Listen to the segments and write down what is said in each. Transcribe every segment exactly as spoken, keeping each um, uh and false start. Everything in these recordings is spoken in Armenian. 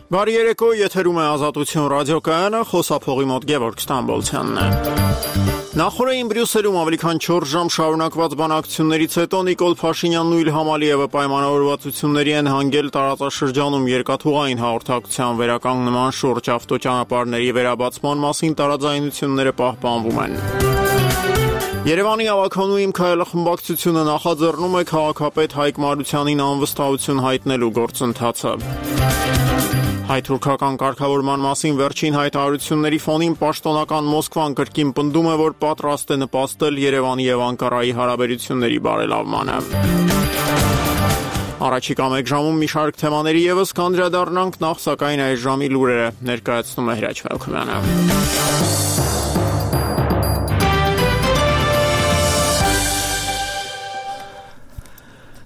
Բարի երեկո, եթերում է Ազատություն ռադիոկայանը, խոսափողի մոտ Գևորգ Ստամբոլցյանն է։ Նախորդին Բրյուսելում ավելի քան չորս ժամ շարունակված բանակցություններից հետո Նիկոլ Փաշինյանն ու Իլհամ Ալիևը պայմանավորվածությունների են հանգել տարածաշրջանում երկաթուղային հաղորդակցության վերականգնման շուրջ ավտոճանապարհների վերաբացման մասին տարաձայնությունները պահպանվում են։ Երևանի ավականու իմ քայլը խմբակցությունը նախաձեռնում է քաղաքապետ Հայկ Մարությանին անվստահություն հայտնելու գործընթացը։ Հայ-թուրքական կարգավորման մասին վերջին հայտարարությունների ֆոնին պաշտոնական Մոսկվան կրկին պնդում է, որ պատրաստ է նպաստել Երևանի եւ Անկարայի հարաբերությունների բարելավմանը։ Առաջիկա մեկ ժամում մի շարք թեմաների եւս կանդրադառնանք, նախ սակայն այս ժամի լուրերը ներկայացնում է Հրաչ Մելքումյանը։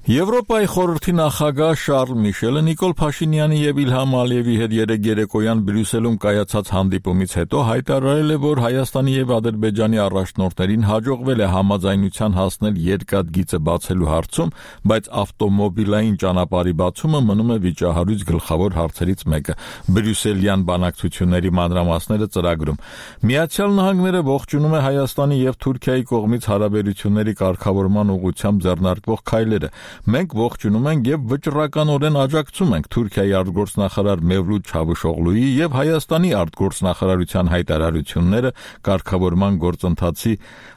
Եվրոպայի խորհրդի նախագահ Շարլ Միշելը Նիկոլ Փաշինյանի եւ Իլհամ Ալիևի հետ երեկ երեկոյան Բրյուսելում կայացած հանդիպումից հետո հայտարարել է, որ Հայաստանի եւ Ադրբեջանի առաջնորդներին հաջողվել է համաձայնության հասնել երկաթգիծը բացելու հարցում, բայց ավտոմոբիլային ճանապարհի բացումը մնում է վիճահարույց գլխավոր հարցերից մեկը։ Բրյուսելյան բանակցությունների մանրամասները ծրագրում։ Միացյալ Նահանգները ողջունում է Հայաստանի եւ Թուրքիայի կողմից հարաբերությունների կարգավորման ուղղությամբ ձեռնարկվող քայլերը։ Մենք ողջունում ենք եւ վճռականորեն աջակցում ենք Թուրքիայի արտգործնախարար Մևլութ Չավուշօղլուի եւ Հայաստանի արտգործնախարարության հայտարարությունները կարգավորման գործընթացի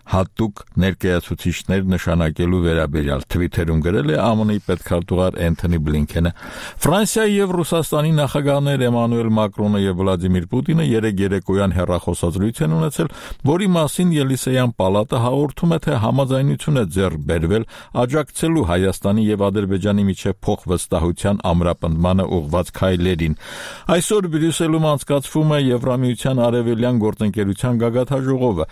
հատուկ ներկայացուցիչներ նշանակելու վերաբերյալ Թվիթերում գրել է ԱՄՆ-ի պետքարտուղար Էնթոնի Բլինքենը։ Ֆրանսիայի եւ Ռուսաստանի նախագահներ Էմանուել Մակրոնը եւ Վլադիմիր Պուտինը երեկ երեկոյան հեռախոսազրույց են ունեցել, որի մասին Ելիսեյան պալատը հաղորդում է, թե համաձայնություն է ձեռք բերվել աջակցելու Հայաստանի եւ Ադրբեջանի միջև փոխվստահության ամրապնդմանը ուղղված քայլերին։ Այսօր Բրյուսելում անցկացվում է Եվրամիության արևելյան գործընկերության գագաթաժողովը։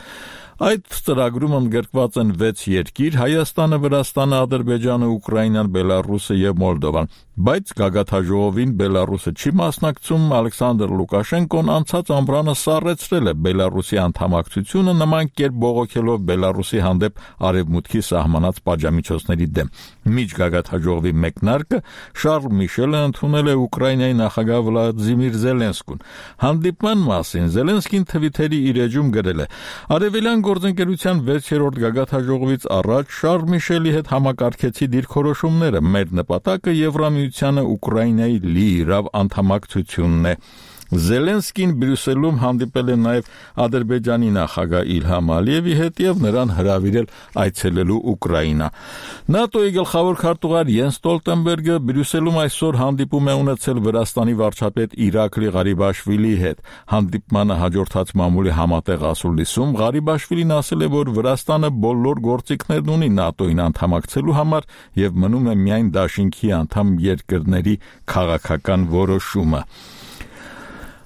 Այդ ծրագրում ընդգրկված են վեց երկիր՝ Հայաստանը, Վրաստանը, Ադրբեջանը, Ուկրաինան, Բելարուսը եւ Մոլդովան, բայց գագաթաժողովին Բելարուսը չի մասնակցում։ Ալեքսանդր Լուկաշենկոն անցած ամռանը սառեցրել է Բելարուսի անդամակցությունը, նման կերպ բողոքելով Բելարուսի հանդեպ արևմուտքի սահմանած պատժամիջոցների դեմ։ Միջգագաթաժողովի մեկնարկը Շարլ Միշելը ընդունել է Ուկրաինայի նախագահ Վլադիմիր Զելենսկուն։ Հանդիպման մասին Զելենսկին Թվիթերի իր էջում գրել է. Արևելյան գործընկերության վեցերորդ գագաթաժողովից առաջ Շարլ Միշելի հետ համակարգեցի դիրքորոշումները։ Մեր նպատակը Եվրամիությանը Ուկրաինայի լիիրավ անդամակցությունն է։ Զելենսկին Բրյուսելում հանդիպել է նաև Ադրբեջանի նախագահ Իլհամ Ալիևի հետ եւ նրան հրավիրել այցելելու Ուկրաինա։ ՆԱՏՕ-ի գլխավոր քարտուղար Յենս Ստոլտենբերգը Բրյուսելում այսօր հանդիպում է ունեցել Վրաստանի վարչապետ Իրակլի Ղարիբաշվիլիի հետ։ Հանդիպմանը հաջորդած մամուլի համատեղ ասուլիսում Ղարիբաշվիլին ասել է, որ Վրաստանը բոլոր գործիքներն ունի ՆԱՏՕ-ին անդամակցելու համար եւ մնում է միայն դաշինքի անդամ երկրների քաղաքական որոշումը։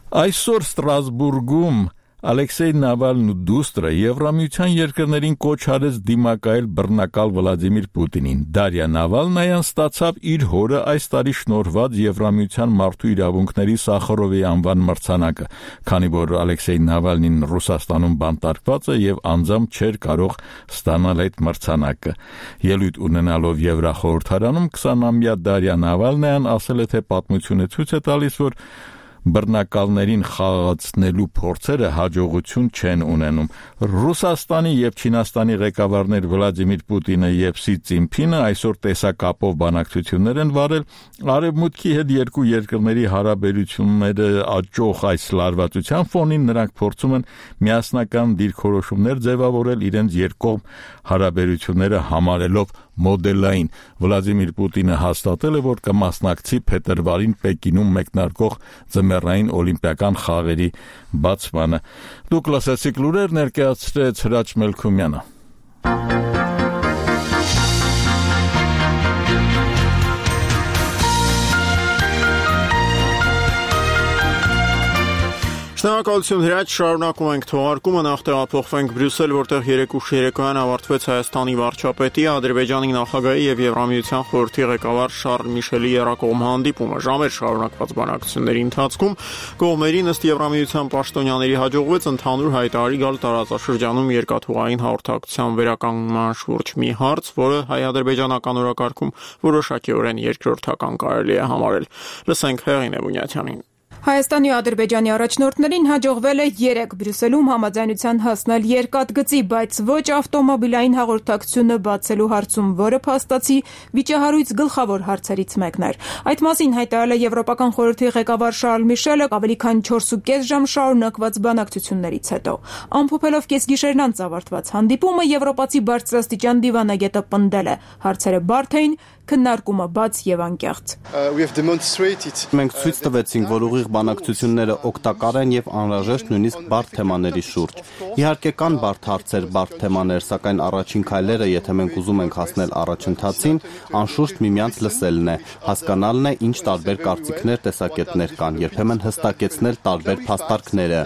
Այսօր Ստրասբուրգում Ալեքսեյ Նավալնու դուստրը Եվրամիության երկրներին կոչ արեց դիմակայել բռնակալ Վլադիմիր Պուտինին։ Դարիա Նավալնայան ստացավ իր հորը այս տարի շնորհված Եվրամիության մարդու իրավունքների Սախարովի անվան մրցանակը, քանի որ Ալեքսեյ Նավալնին Ռուսաստանում բանտարկված է եւ անձամբ չէր կարող ստանալ այդ մրցանակը։ Ելույթ ունենալով Եվրախորհրդարանում քսանամյա Դարիա Նավալնայան ասել է, թե պատմությունը ցույց է տալիս, որ բռնակալներին խաղացնելու փորձերը հաջողություն չեն ունենում։ Ռուսաստանի եւ Չինաստանի ղեկավարներ Վլադիմիր Պուտինը եւ Սի Ցզինփինը այսօր տեսակապով բանակցություններ են վարել։ Արևմուտքի հետ երկու երկրների հարաբերությունները աճող այս լարվածության ֆոնին նրանք փորձում են միասնական դիրքորոշումներ ձևավորել իրենց երկկողմ հարաբերությունները համարելով մոդելային։ Վլադիմիր Պուտինը հաստատել է, որ կմասնակցի փետրվարին Պեկինում մեկնարկող ձմեռային օլիմպիական խաղերի բացմանը։ Դուք լսեցիք լուրեր, ներկայացրեց Հրաչ Մելքումյանը։ Շնորհակալություն Հրաչ, շարունակում ենք թողարկումը, նախ տեղափոխվենք Բրյուսել, որտեղ երեկ ուշ երեկոյան ավարտվեց Հայաստանի վարչապետի, Ադրբեջանի նախագահի եւ Եվրամիության խորհրդի ղեկավար Շարլ Միշելի երակողմ հանդիպումը։ Ժամեր շարունակված բանակցությունների ընթացքում կողմերին ըստ Եվրամիության պաշտոնյաների հաջողվեց ընդհանուր հայտարարի գալ տարածաշրջանում երկաթուղային հաղորդակցության վերականգնման շուրջ մի հարց, որը հայ-ադրբեջանական օրակարգում որոշակիորեն երկրորդական կարելի է համարել։ Լսենք Հեղինե Բունյաթյանին։ Հայաստանի ու Ադրբեջանի առաջնորդներին հաջողվել է երեկ Բրյուսելում համաձայնության հասնել երկաթգծի, բայց ոչ ավտոմոբիլային հաղորդակցությունը բացելու հարցում, որը փաստացի վիճահարույց գլխավոր հարցերից մեկն էր։ Այդ մասին հայտարարել է Եվրոպական խորհրդի ղեկավար Շարլ Միշելը ավելի քան չորսուկես ժամ շարունակված բանակցություններից հետո։ Ամփոփելով կեսգիշերն անց ավարտված հանդիպումը, եվրոպացի բարձրաստիճան դիվանագետը պնդել է. հարցերը բարդ էին, քննարկումը բաց եւ անկեղծ։ Մենք ցույց տվեցինք, որ ուղիղ բանակցությունները օգտակար են եւ անհրաժեշտ նույնիսկ բարդ թեմաների շուրջ։ Իհարկե կան բարդ հարցեր, բարդ թեմաներ, սակայն առաջին քայլերը, եթե մենք ուզում ենք հասնել առաջընթացին, անշուշտ միմյանց լսելն է, հասկանալն է, ինչ տարբեր կարծիքներ, տեսակետներ կան, երբեմն հստակեցնել տարբեր փաստարկները։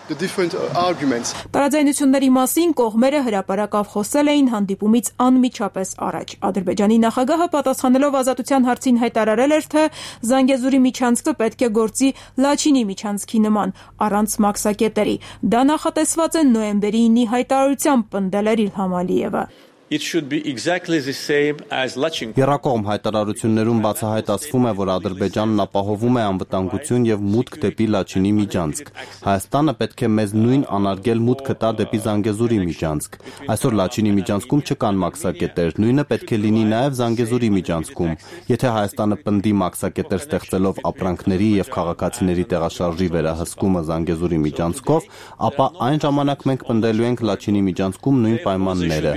Տարաձայնությունների մասին կողմերը հրապարակավ խոսել էին հանդիպումից անմիջապես առաջ։ Ադրբեջանի նախագահը պատասխանելով ազատության հարցին հայտարարել էր, թե Զանգեզուրի միջանցքը պետք է գործի Լաչինի միջանցքի նման, առանց մաքսակետերի։ Դա նախատեսված է նոյեմբերի ինի հայտարարությամբ, պնդել էր Իլհամ Ալիևը։ It should be exactly the same as Lachin. Եռակողմ հայտարարություններում բացահայտ ասվում է, որ Ադրբեջանն ապահովում է անվտանգություն եւ մուտք դեպի Լաչինի միջանցք։ Հայաստանը պետք է մեզ նույն անարգել մուտքը տա դեպի Զանգեզուրի միջանցք։ Այսօր Լաչինի միջանցքում չկան մաքսակետեր, նույնը պետք է լինի նաեւ Զանգեզուրի միջանցքում։ Եթե Հայաստանը պնդի մաքսակետեր ստեղծելով ապրանքների եւ քաղաքացիների տեղաշարժի վերահսկումը Զանգեզուրի միջանցքով, ապա այն ժամանակ մենք պնդելու ենք Լաչինի միջանցքում նույն պայմանները։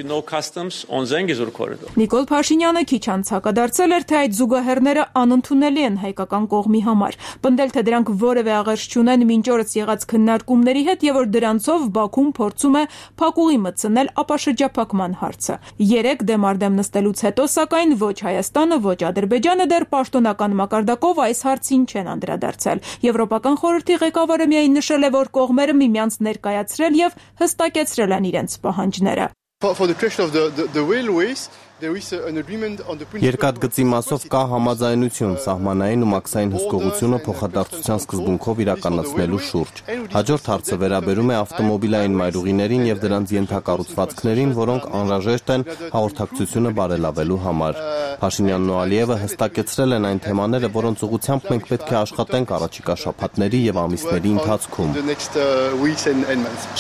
Նիկոլ Փաշինյանը քիչ անց հակադարձել էր, թե այդ զուգահեռները անընդունելի են հայկական կողմի համար, պնդել, թե դրանք որևէ աղերս չունեն մինչ օրս եղած քննարկումների հետ եւ որ դրանցով Բաքուն փորձում է փակուղի մտցնել ապաշրջափակման հարցը։ Երեք դեմարդեմ նստելուց հետո, սակայն ոչ Հայաստանը, ոչ Ադրբեջանը դեռ պաշտոնական մակարդակով այս հարցին չեն անդրադարձել։ Եվրոպական խորհրդի ղեկավարը միայն նշել է, որ կողմերը միմյանց ներկայացրել եւ հստակեցրել են իրենց պահանջները։ Երկաթգծի մասով կա համաձայնություն սահմանային ու մաքսային հսկողությունը փոխադարձության սկզբունքով իրականացնելու շուրջ։ Հաջորդ հարցը վերաբերում է ավտոմոբիլային մայրուղիներին եւ դրանց ենթակառուցվածքներին, որոնք անհրաժեշտ են հաղորդակցությունը բարելավելու համար։ Փաշինյանն ու Ալիևը հստակեցրել են այն թեմաները, որոնց ուղղությամբ մենք պետք է աշխատենք առաջիկա շաբաթների եւ ամիսների ընթացքում։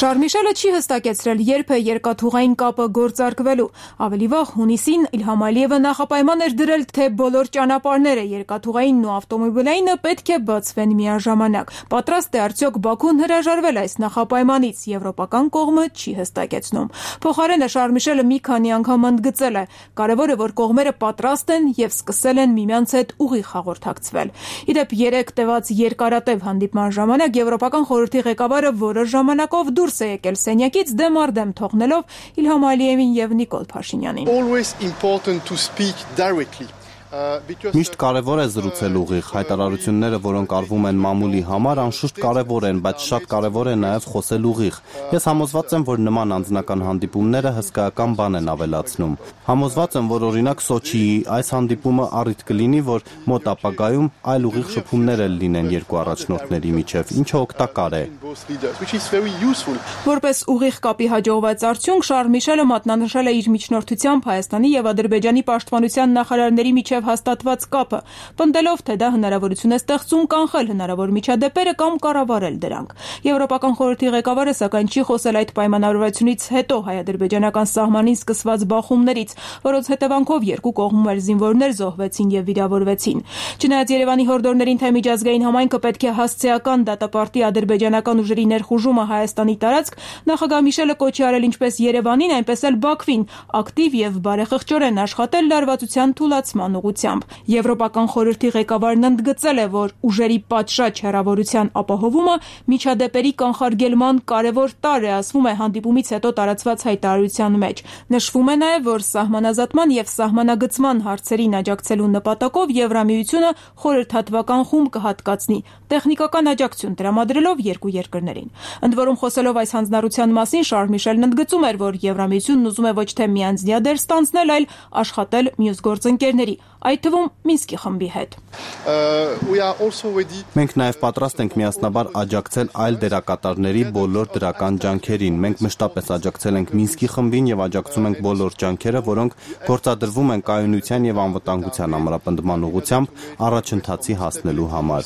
Շարլ Միշելը չի հստակեցրել, երբ է երկաթուղային կապը գործարկվելու։ Ավելի վաղ հունիսին Իլհամ Ալիևը նախապայման էր դրել, թե բոլոր ճանապարհները երկաթուղայինն ու ավտոմոբիլայինը պետք է բացվեն միաժամանակ։ Պատրաստ է արդյոք Բաքուն հրաժարվել այս նախապայմանից, եվրոպական կողմը չի հստակեցնում։ Փոխարենը Շարլ Միշելը մի քանի անգամ ընդգծել է. կարևորը, որ կողմերը պատրաստ են եւ սկսել են միմյանց հետ ուղիղ հաղորդակցվել։ Իդեպ երեք տևած երկարատև հանդիպման ժամանակ Եվրոպական խորհրդի ղեկավարը որոշ ժամանակով դուրս է եկել սենյակից դեմարդեմ թողնելով Իլհամ Ալիևին եւ Նիկոլ Փաշինյանին։ Important to speak directly. Միշտ կարևոր է զրուցել ուղիղ, հայտարարությունները, որոնք արվում են մամուլի համար, անշուշտ կարևոր են, բայց շատ կարևոր է նաև խոսել ուղիղ։ Ես համոզված եմ, որ նման անձնական հանդիպումները հսկայական բան են ավելացնում։ Համոզված եմ, որ օրինակ Սոչիի այս հանդիպումը առիթ կլինի, որ մոտ ապագայում այլ ուղիղ շփումներ էլ լինեն երկու առաջնորդների միջև, ինչը օգտակար է։ Որպես ուղիղ կապի հաջողված արդյունք, Շարլ Միշելը մատնանշել է իր միջնորդությամբ Հայաստանի եւ Ադրբեջանի պաշտպանության նախարարների միջև հաստատված կապը, պնդելով, թե դա հնարավորություն է ստեղծում կանխել հնարավոր միջադեպերը կամ կառավարել դրանք։ Եվրոպական խորհրդի ղեկավարը սակայն չի խոսել այդ պայմանավորվածությունից հետո հայ-ադրբեջանական սահմանին սկսված բախումներից, որոնց հետևանքով երկու կողմում էլ զինվորներ զոհվեցին եւ վիրավորվեցին։ Չնայած Երևանի հորդորներին, թե միջազգային համայնքը պետք է հասցեական դատապարտի ադրբեջանական ուժերի ներխուժումը Հայաստանի տարածք, նախագահ Միշելը կոչ է արել ինչպես Երևանին, այնպես էլ Բաքվին ակտիվ եւ բարեխղճորեն աշխատել լարվածության թուլացման ուղղությամբ։ Եվրոպական խորհրդի ղեկավարն ընդգծել է, որ ուժերի պատշաճ հեռավորության ապահովումը միջադեպերի կանխարգելման կարևոր տարր է, ասվում է հանդիպումից հետո տարածված հայտարարության մեջ։ Նշվում է նաև, որ սահմանազատման եւ սահմանագծման հարցերին աջակցելու նպատակով Եվրամիությունը խորհրդատվական խումբ կհատկացնի, տեխնիկական աջակցություն տրամադրելով երկու երկրներին։ Ընդ որում, խոսելով այս հանձնառության մասին, Շարլ Միշելն ընդգծում էր, որ Եվրամիությունն ուզում է ոչ թե միանձնյա դեր ստանձնել, այլ աշխատել մյուս գործընկերների, այդ թվում Մինսկի խմբի հետ։ Մենք նաև պատրաստ ենք միասնաբար աջակցել այլ դերակատարների բոլոր դրական ջանքերին։ Մենք մշտապես աջակցել ենք Մինսկի խմբին եւ աջակցում ենք բոլոր ջանքերը, որոնք գործադրվում են կայունության եւ անվտանգության ամրապնդման ուղղությամբ առաջընթացի հասնելու համար։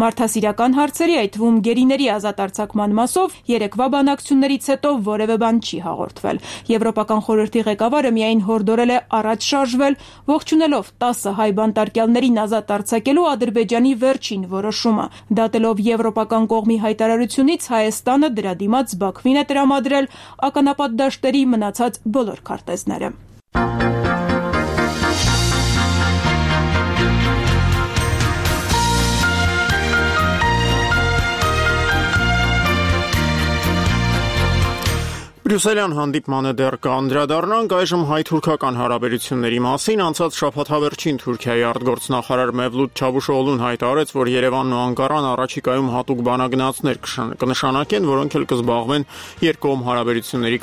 Մարդասիրական հարցերի, այդ թվում գերիների ազատ արձակման մասով երեկվա բանակցություններից հետո որևէ բան չի հաղորդվել։ Եվրոպական խորհրդի ղեկավարը միայն հորդորել է առաջ շարժվել, ողջունելով տասը հայ բանտարկյալներին ազատ արձակելու Ադրբեջանի վերջին որոշումը։ Դատելով եվրոպական կողմի հայտարարությունից Հայաստանը դրա դիմաց Բաքվին է տրամադրել ականապատ դաշտերի մնացած բոլոր քարտեզները։ Բրյուսելյան հանդիպմանը դեռ կանդրադառնանք, այժմ հայ-թուրքական հարաբերությունների մասին անցած շաբաթավերջին Թուրքիայի արտգործնախարար Մևլութ Չավուշօղլուն հայտարարեց, որ Երևանն ու Անկարան առաջիկայում հատուկ բանագնացներ կնշանակեն, որոնք էլ կզբաղվեն երկկողմ հարաբերությունների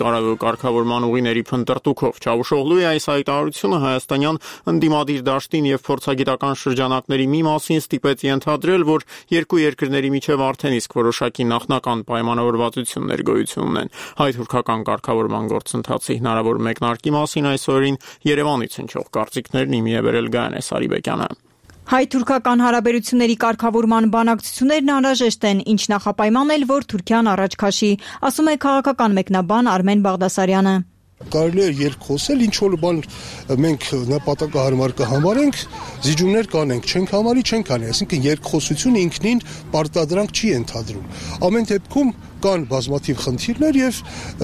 կարգավորման ուղիների փնտրտուքով։ Չավուշօղլուի այս հայտարարությունը հայաստանյան ընդդիմադիր դաշտին եւ փորձագիտական շրջանակների մի մասին ստիպեց ենթադրել, որ երկու երկրների միջև արդեն իսկ որոշակի նախնական պայմանավորվածություններ գոյություն ունեն։ Հայ-թուրքական կարգավորման գործընթացի հնարավոր մեկնարկի մասին այսօրին Երևանից հնչող կարծիքներն իմի է բերել Գայանե Սարիբեկյանը։ Հայ-թուրքական հարաբերությունների կարգավորման բանակցություններն անհրաժեշտ են, ինչ նախապայման էլ, որ Թուրքիան առաջ քաշի, ասում է քաղաքական մեկնաբան Արմեն Բաղդասարյանը։ Կարելի է երկխոսել, ինչ որ բան մենք նպատակահարմար կհամարենք, զիջումներ կանենք, չենք համարի, չենք անի, այսինքն երկխոսությունը ինքնին պարտադրանք չի ենթադրում։ Ամեն դեպքում կան բազմաթիվ խնդիրներ եւ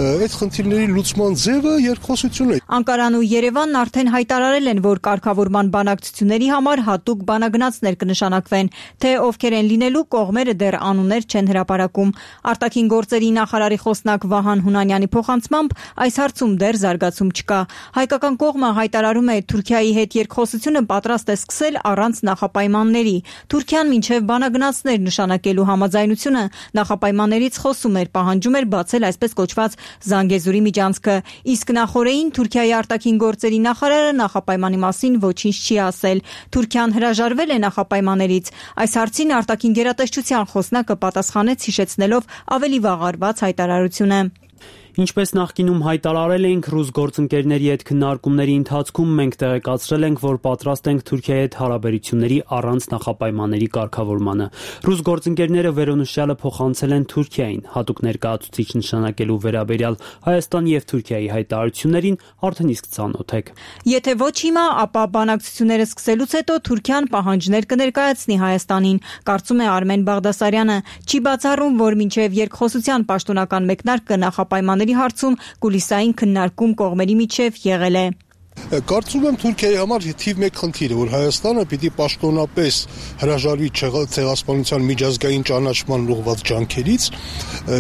այդ խնդիրների լուծման ձևը երկխոսությունն է։ Անկարան ու Երևանն արդեն հայտարարել են, որ կարգավորման բանակցությունների համար հատուկ բանագնացներ կնշանակվեն, թե ովքեր են լինելու կողմերը դեռ անուններ չեն հրապարակում։ Արտաքին գործերի նախարարի խոսնակ Վահան Հունանյանի փոխանցմամբ այս հարցում դեռ զարգացում չկա։ Հայկական կողմը հայտարարում է Թուրքիայի հետ երկխոսությունը պատրաստ է սկսել առանց նախապայմանների։ Թուրքիան մինչև բանագնացներ նշանակելու համաձայնությունը նախապայմաններից խոսում էր, պահանջում էր բացել այսպես կոչված Զանգեզուրի միջանցքը, իսկ նախորդին Թուրքիայի արտաքին գործերի նախարարը նախապայմանի մասին ոչինչ չի ասել։ Թուրքիան հրաժարվել է նախապայմաններից։ Այս հարցին արտաքին գերատեսչության խոսնակը պատասխանեց հիշեցնելով ավելի վաղ արված հայտարարությունը։ Ինչպես նախկինում հայտարարել էինք, ռուս գործընկերների հետ քննարկումների ընթացքում մենք տեղեկացրել ենք, որ պատրաստ ենք Թուրքիայի հետ հարաբերությունների առանց նախապայմանների կարգավորմանը։ Ռուս գործընկերները վերոնշյալը փոխանցել են Թուրքիային, հատուկ ներկայացուցիչ նշանակելու վերաբերյալ Հայաստանի եւ Թուրքիայի հայտարարություններին արդեն իսկ ծանոթ եք։ Եթե ոչ հիմա, ապա բանակցությունները սկսելուց հետո Թուրքիան պահանջներ կներկայացնի Հայաստանին, կարծում է Արմեն Բաղդասարյանը։ Չի բացառում, որ մինչև երկխոսության պաշտոնական մեկնարկը նախապայմանների հարցում կուլիսային քննարկում կողմերի միջև եղել է։ Կարծում եմ Թուրքիայի համար թիվ մեկ խնդիրը, որ Հայաստանը պիտի պաշտոնապես հրաժարվի ցեղասպանության միջազգային ճանաչման ուղղված ջանքերից,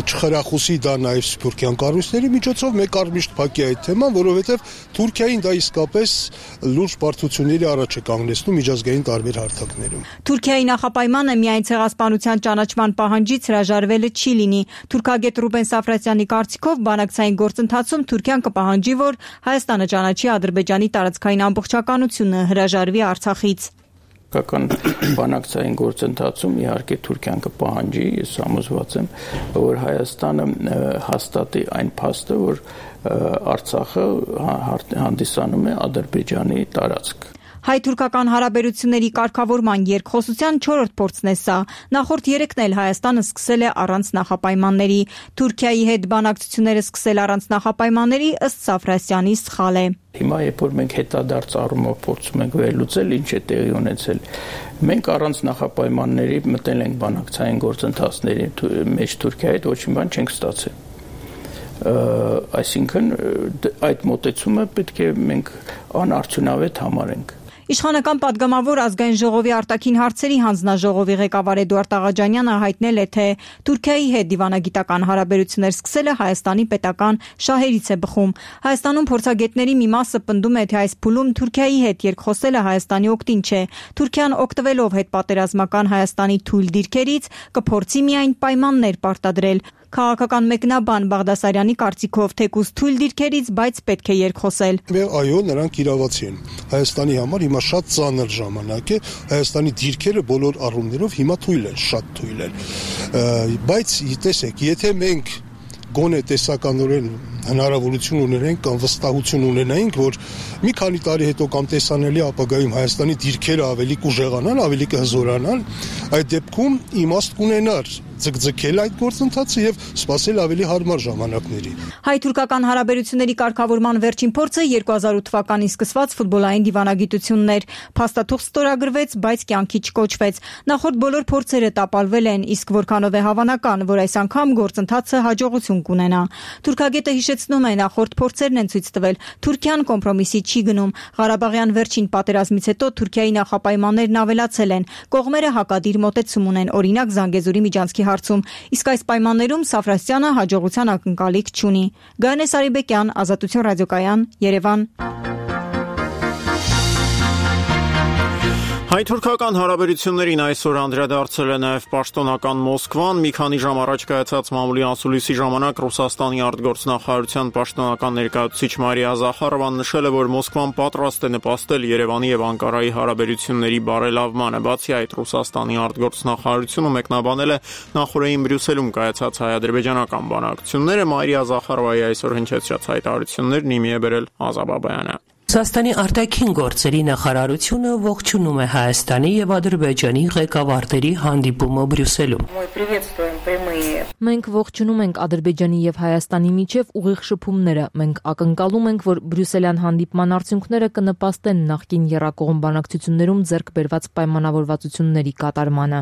չխրախուսի դա նաև սփյուռքյան կառույցների միջոցով, մեկ առմիշտ փակի այդ թեման, որովհետև Թուրքիային դա իսկապես լուրջ բարդությունների առաջ է կանգնեցնում միջազգային տարբեր հարթակներում։ Թուրքիայի նախապայմանը միայն ցեղասպանության ճանաչման պահանջից հրաժարվելը չի լինի։ Թուրքագետ Ռուբեն Սաֆրասյանի կարծիքով բանակցային գործընթացում Թուրքիան կպահանջի, որ Հայաստանը ճանաչի Ադրբեջանի տարածքային ամբողջականությունը, հրաժարվի Արցախից։ Կական բանակցային գործընթացում իհարկե Թուրքիան կպահանջի, ես համոզված եմ, որ Հայաստանը հաստատի այն փաստը, որ Արցախը հանդիսանում է Ադրբեջանի տարածք։ Հայ-թուրքական հարաբերությունների կարգավորման երկխոսության չորրորդ փորձն է սա։ Նախորդ երեքն էլ Հայաստանը սկսել է առանց նախապայմանների։ Թուրքիայի հետ բանակցությունները սկսել առանց նախապայմանների ըստ Սաֆրասյանի սխալ է։ Հիմա երբ որ մենք հետադարձ առումով փորձում ենք վերլուծել, ինչ է տեղի ունեցել, մենք առանց նախապայմանների մտել ենք բանակցային գործընթացների մեջ Թուրքիայի հետ, ոչ մի բան չենք ստացել։ Այսինքն այդ մոտեցումը պետք է մենք անարդյունավետ համարենք։ Իշխանական падգամավոր ազգային ժողովի արտաքին հարցերի հանձնաժողովի ղեկավար Էդուարդ Աղաջանյանը հայտնել է, թե Թուրքիայի հետ դիվանագիտական հարաբերություններ սկսելը Հայաստանի պետական շահերից է բխում։ Հայաստանում փորձագետների մի մասը պնդում է, թե այս փուլում Թուրքիայի հետ երկխոսելը Հայաստանի օգտին չէ։ Թուրքիան օգտվելով հետպատերազմական Հայաստանի թույլ դիրքերից կփորձի միայն պայմաններ պարտադրել։ Քաղաքական մեկնաբան Բաղդասարյանի կարծիքով թեկուզ թույլ դիրքերից, բայց պետք է երկխոսել։ Այո, նրանք իրավացի են։ Հայաստանի համար հիմա շատ ծանր ժամանակ է, Հայաստանի դիրքերը բոլոր առումներով հիմա թույլ են, շատ թույլ են։ Բայց տեսեք, եթե մենք գոնե տեսականորեն հնարավորություն ունենենք կամ վստահություն ունենայինք, որ մի քանի տարի հետո կամ տեսանելի ապագայում Հայաստանի դիրքերը ավելի կուժեղանան, ավելի կհզորանան, այդ դեպքում իմաստ կունենար ձգձգել այդ գործընթացը եւ սպասել ավելի հարմար ժամանակների։ Հայ-թուրքական հարաբերությունների կարգավորման վերջին փորձը երկու հազար ութ թվականին սկսված ֆուտբոլային դիվանագիտությունն էր։ Փաստաթուղթ ստորագրվեց, բայց կյանքի չկոչվեց։ Նախորդ բոլոր փորձերը տապալվել են, իսկ որքանով է հավանական, որ այս անգամ գործընթացը հաջողություն կունենա։ Թուրքագետը հիշեցնում է, նախորդ փորձերն են ցույց տվել, Թուրքիան կոմպրոմիսի չի գնում։ Ղարաբաղյան վերջին պատերազմից հետո Թուրքիայի նախապայմաններն ավելացել են։ Կողմերը հակադիր մոտեցում ունեն, օրինակ Զանգեզուրի միջանցքի հարցում, իսկ այս պայմաններում Սաֆրասյանը հաջողության ակնկալիք չունի։ Գայանե Սարիբեկյան, Ազատություն ռադիոկայան, Երևան։ Հայ-թուրքական հարաբերություններին այսօր անդրադարձել է նաև պաշտոնական Մոսկվան։ Մի քանի ժամ առաջ կայացած մամուլի անցուլիսի ժամանակ Ռուսաստանի արտգործնախարարության պաշտոնական ներկայացուցիչ Մարիա Զախարովան նշել է, որ Մոսկվան պատրաստ է նպաստել Երևանի եւ Անկարայի հարաբերությունների բարելավմանը։ Բացի այդ, Ռուսաստանի արտգործնախարարությունը մեկնաբանել է նախորդին Բրյուսելում կայացած հայ-ադրբեջանական բանակցությունները։ Մարիա Զախարովայի այսօր հնչեցրած հայտարարություններն իմի է բերել Ազա Բաբայանը։ Ռուսաստանի արտաքին գործերի նախարարությունը ողջունում է Հայաստանի եւ Ադրբեջանի ղեկավարների հանդիպումը Բրյուսելում։ Մենք ողջունում ենք Ադրբեջանի եւ Հայաստանի միջև ուղիղ շփումները։ Մենք ակնկալում ենք, որ Բրյուսելյան հանդիպման արդյունքները կնպաստեն նախկին եռակողմ բանակցություններում ձեռք բերված պայմանավորվածությունների կատարմանը։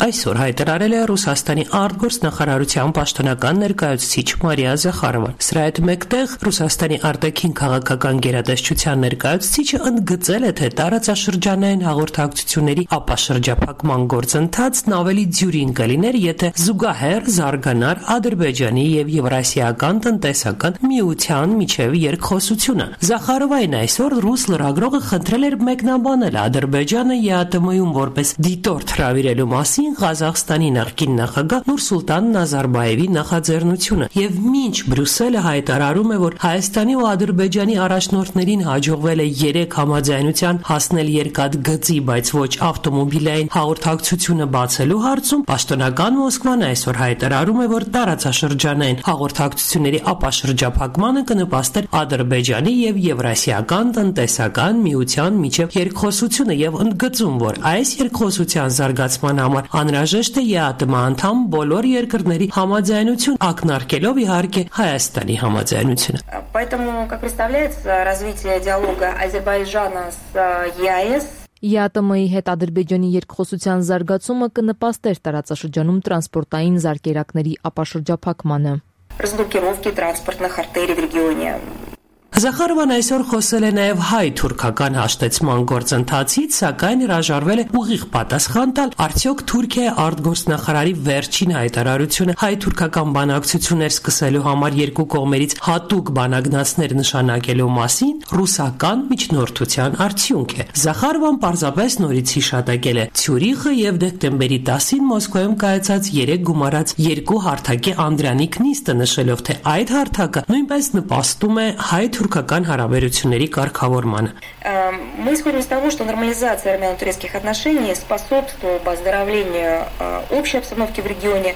Այսօր հայտարարել է Ռուսաստանի արտգործնախարարության պաշտոնական ներկայացուցիչ Մարիա Զախարովան։ Սրա հետ մեկտեղ Ռուսաստանի արտաքին քաղաքական գերատեսչության ներկայացուցիչը ընդգծել է, թե տարածաշրջանային հաղորդակցությունների ապաշրջափակման գործընթացն ավելի դյուրին կլիներ, եթե զուգահեռ զարգանար Ադրբեջանի եւ Եվրասիական տնտեսական միության միջև երկխոսությունը։ Զախարովային այսօր ռուս լրագրողը խնդրել էր մեկնաբանել Ադրբեջանը ԵԱՏՄ-ում որպես դիտորդ հրավիրելու մասին Ղազախստանի նախկին նախագահ Նուրսուլտան Նազարբայևի նախաձեռնությունը եւ մինչ Բրյուսելը հայտարարում է, որ Հայաստանի ու Ադրբեջանի առաջնորդներին հաջողվել է երեք համաձայնության հասնել երկաթգծի, բայց ոչ ավտոմոբիլային հաղորդակցությունը բացելու հարցում, պաշտոնական Մոսկվան այսօր հայտարարում է, որ տարածաշրջանային հաղորդակցությունների ապաշրջափակմանը կնպաստեր Ադրբեջանի եւ Եվրասիական տնտեսական միության միջև երկխոսությունը եւ ընդգծում, որ այս երկխոսության զարգացման համար անհրաժեշտ է ԵԱՏՄ անդամ բոլոր երկրների համաձայնություն, ակնարկելով իհարկե Հայաստանի համաձայնությունը։ Поэтому, как представляется, развитие диалога Азербайджана с ЕАЭС ԵԱՏՄ-ի հետ Ադրբեջանի երկխոսության զարգացումը կնպաստեր տարածաշրջանում տրանսպորտային զարկերակների ապաշրջափակմանը։ Разблокировки транспортных артерий в регионе. Զախարովան այսօր խոսել է նաև հայ-թուրքական հաշտեցման գործընթացից, սակայն հրաժարվել է ուղիղ պատասխան տալ, արդյոք Թուրքիայի արտգործնախարարի վերջին հայտարարությունը հայ-թուրքական բանակցություններ սկսելու համար երկու կողմերից հատուկ բանագնացներ նշանակելու մասին ռուսական միջնորդության արդյունք է։ Զախարովան պարզապես նորից հիշատակել է Ցյուրիխը եւ դեկտեմբերի տասին Մոսկվայում կայացած երեք գումարած երկու հարթակի անդրանիկ նիստը, նշելով, թե այդ հարթակը նույնպես նպաստում է հայ-թուրքական հարաբերությունների կարգավորմանը։ Мы исходим из того, что нормализация армяно-турецких отношений способствует оздоровлению общей обстановки в регионе.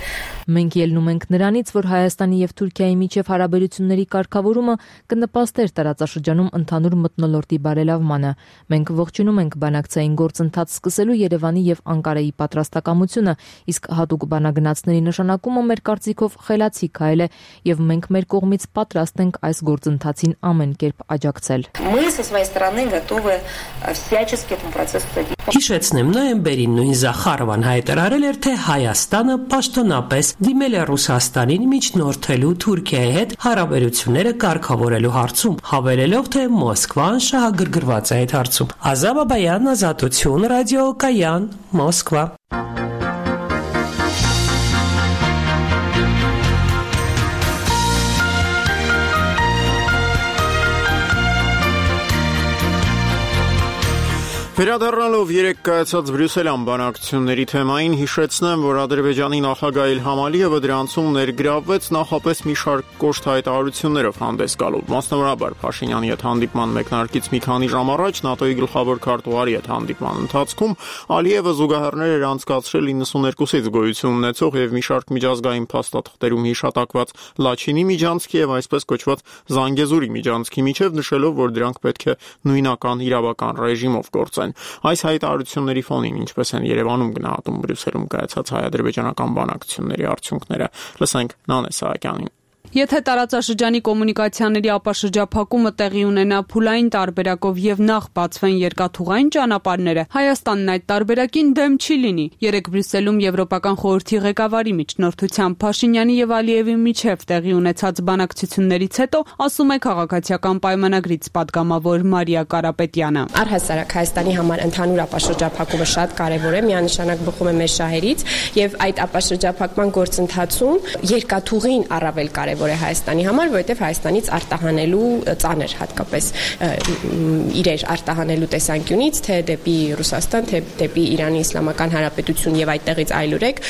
Մենք ելնում ենք նրանից, որ Հայաստանի եւ Թուրքիայի միջև հարաբերությունների կարգավորումը կնպաստեր տարածաշրջանում ընդհանուր մթնոլորտի բարելավմանը։ Մենք ողջունում ենք բանակցային գործընթաց սկսելու Երևանի եւ Անկարայի պատրաստակամությունը, իսկ հատուկ բանագնացների նշանակումը մեր կարծիքով խելացի քայլ է եւ մենք մեր կողմից պատրաստ ենք այս գործընթացին ամեն կերպ աջակցել։ Мы со своей стороны готовы всячески этому процессу содействовать. Հիշեցնեմ, նոյեմբերին նույն Զախարովան հայտարարել էր, թե Հայաստանը պաշտոնապես դիմել է Ռուսաստանին միջնորդելու Թուրքիայի հետ հարաբերությունները կարգավորելու հարցում, հավելելով, թե Մոսկվան շահագրգռված է այդ հարցում։ Ազա Բաբայան, Ազատություն ռադիոկայան, Մոսկվա։ Վերադառնալով երեք կայացած Բրյուսելյան բանակցությունների թեմային, հիշեցնեմ, որ Ադրբեջանի նախագահ Իլհամ Ալիևը դրանցում ներգրավվեց նախապես մի շարք կոշտ հայտարարություններով հանդես գալով։ Մասնավորաբար Փաշինյանի հետ հանդիպման մեկնարկից մի քանի ժամ առաջ ՆԱՏՕ-ի գլխավոր քարտուղարի հետ հանդիպման ընթացքում Ալիևը զուգահեռներ էր անցկացրել իննսուներկուսից գոյություն ունեցող եւ մի շարք միջազգային փաստաթղթերում հիշատակված Լաչինի միջանցքի եւ այսպես կոչված Զանգեզուրի միջանցքի միջև, նշելով, որ դրանք պետք է նույնական իրավական ռեժիմով գործեն։ Այս հայտարարությունների ֆոնին ինչպես են Երևանում գնահատում Բրյուսելում կայացած հայ-ադրբեջանական բանակցությունների արդյունքները, լսենք Նանե Սահակյանին։ Եթե տարածաշրջանի կոմունիկացիաների ապաշրջափակումը տեղի ունենա փուլային տարբերակով եւ նախ բացվեն երկաթուղային ճանապարհները, Հայաստանն այդ տարբերակին դեմ չի լինի։ Երեք Բրյուսելում Եվրոպական խորհրդի ղեկավարի միջնորդությամբ Փաշինյանի եւ Ալիևի միջև տեղի ունեցած բանակցություններից հետո ասում է քաղաքացիական պայմանագրից падգամավոր Մարիա Կարապետյանը։ Առհասարակ Հայաստանի համար ընդհանուր ապաշրջափակումը շատ կարեւոր է, միանշանակ բխում է մեր շահերից եւ այդ ապաշրջափակման գործընթացում երկաթուղին առավել կարեւոր է Հայաստանի համար, որովհետև Հայաստանից արտահանելու ծանր հատկապես իրեր արտահանելու տեսանկյունից, թե դեպի Ռուսաստան, թե դեպի Իրանի Իսլամական Հանրապետություն եւ այդտեղից այլուրեք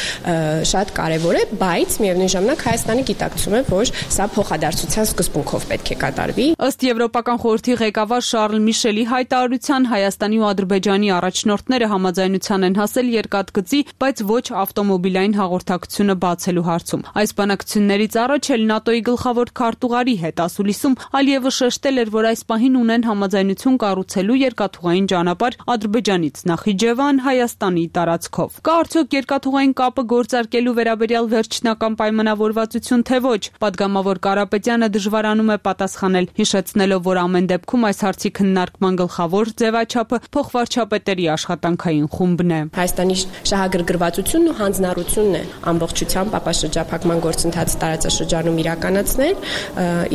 շատ կարեւոր է, բայց միևնույն ժամանակ Հայաստանը գիտակցում է, որ սա փոխադարձության սկզբունքով պետք է կատարվի։ Ըստ Եվրոպական խորհրդի ղեկավար Շարլ Միշելի հայտարարության, Հայաստանի ու Ադրբեջանի առաջնորդները համաձայնության են հասել երկաթգծի, բայց ոչ ավտոմոբիլային հաղորդակցությունը բացելու հարցում։ Այս բանակցություններից առաջ էլ ՆԱՏՕ-ի գլխավոր քարտուղարի հետ ասուլիսում Ալիևը շեշտել էր, որ այս պահին ունեն համաձայնություն կառուցելու երկաթուղային ճանապարհ Ադրբեջանից Նախիջևան Հայաստանի տարածքով։ Կա արդյոք երկաթուղային կապը գործարկելու վերաբերյալ վերջնական պայմանավորվածություն, թե ոչ։ Պատգամավոր Կարապետյանը դժվարանում է պատասխանել, հիշեցնելով, որ ամեն դեպքում այս հարցի քննարկման գլխավոր ձևաչափը փոխվարչապետերի աշխատանքային խումբն է։ Հայաստանի շահագրգռվածությունն ու հանձնառությունն է ամբողջությամբ ապաշրջափակման գործընթացը տարածաշրջանում իրականացնել,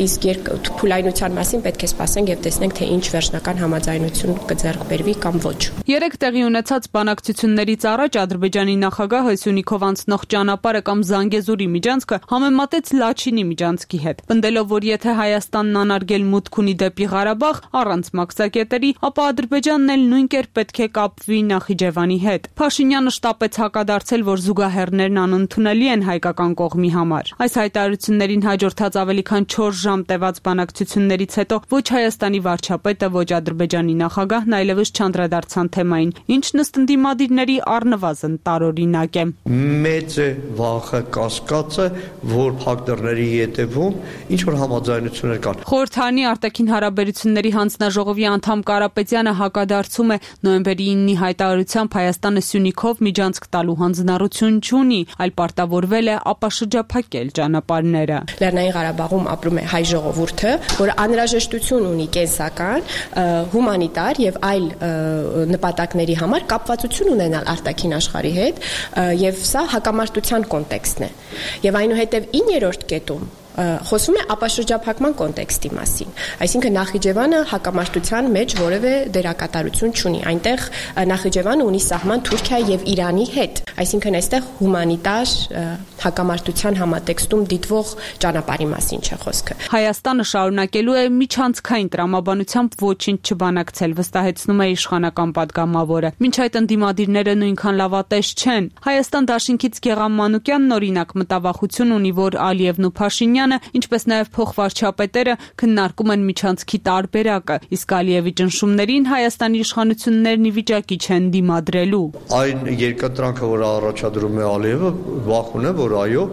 իսկ փուլայնության մասին պետք է սպասենք եւ տեսնենք, թե ինչ վերջնական համաձայնություն կձեռք բերվի կամ ոչ։ Երեք տեղի ունեցած բանակցություններից առաջ Ադրբեջանի նախագահը Սյունիքով անցնող ճանապարհը կամ Զանգեզուրի միջանցքը համեմատեց Լաչինի միջանցքի հետ, պնդելով, որ եթե Հայաստանն անարգել մուտք ունի դեպի Ղարաբաղ առանց մաքսակետերի, ապա Ադրբեջանն էլ նույն կերպ պետք է կապվի Նախիջևանի հետ։ Փաշինյանը շտապեց հակադարձել, որ զուգահեռներն անընդունելի են հայկական կողմի համար։ Այս հայտարարություններին հաջորդած ավելի քան չորս ժամ տևած բանակցություններից հետո ոչ Հայաստանի վարչապետը, ոչ Ադրբեջանի նախագահն այլևս չանդրադարձան թեմային, ինչն ըստ ընդդիմադիրների առնվազն տարօրինակ է։ Մեծ է վախը կասկածը, որ փակտորների ետևում ինչ որ համաձայնություններ կան։ Խորհրդանի արտաքին հարաբերությունների հանձնաժողովի անդամ Կարապետյանը հակադարձում է նոյեմբերի իննի հայտարարությամբ Հայաստանը Սյունիքով միջանցք տալու հանձնառություն չունի, այլ պարտավորվել է ապաշրջափակել ճանապարհները։ Լեռնային Ղարաբաղում ապրում է հայ ժողովուրդը, որը անհրաժեշտություն ունի կենսական, հումանիտար եւ այլ նպատակների համար կապվածություն ունենալ արտաքին աշխարհի հետ, եւ սա հակամարտության կոնտեքստն է։ Եվ այնուհետեւ իններորդ կետում խոսում է ապաշրջափակման կոնտեքստի մասին։ Այսինքն Նախիջևանը հակամարտության մեջ որևէ դերակատարություն չունի։ Այնտեղ Նախիջևանը ունի սահման Թուրքիայի եւ Իրանի հետ։ Այսինքն այստեղ հումանիտար հակամարտության համատեքստում դիտվող ճանապարհի մասին չէ խոսքը։ Հայաստանը շարունակելու է միջանցքային տրամաբանությամբ ոչինչ չբանակցել, վստահեցնում է իշխանական падգամավորը։ Մինչ այդ ընդդիմադիրները նույնքան լավատես չեն։ Հայաստան դաշինքից Գեղամ Մանուկյանն օրինակ մտավախություն ունի, որ Ալիևն ու Փաշինյանը, ինչպես նաև փոխվարչապետերը քննարկում են միջանցքի տարբերակը, իսկ Ալիևի ճնշումներին Հայաստանի իշխանություններն ի վիճակի չեն դիմադրելու։ Այն երկատրանքը, որ առաջադրում է Ալիևը, վախուն է, որ այո,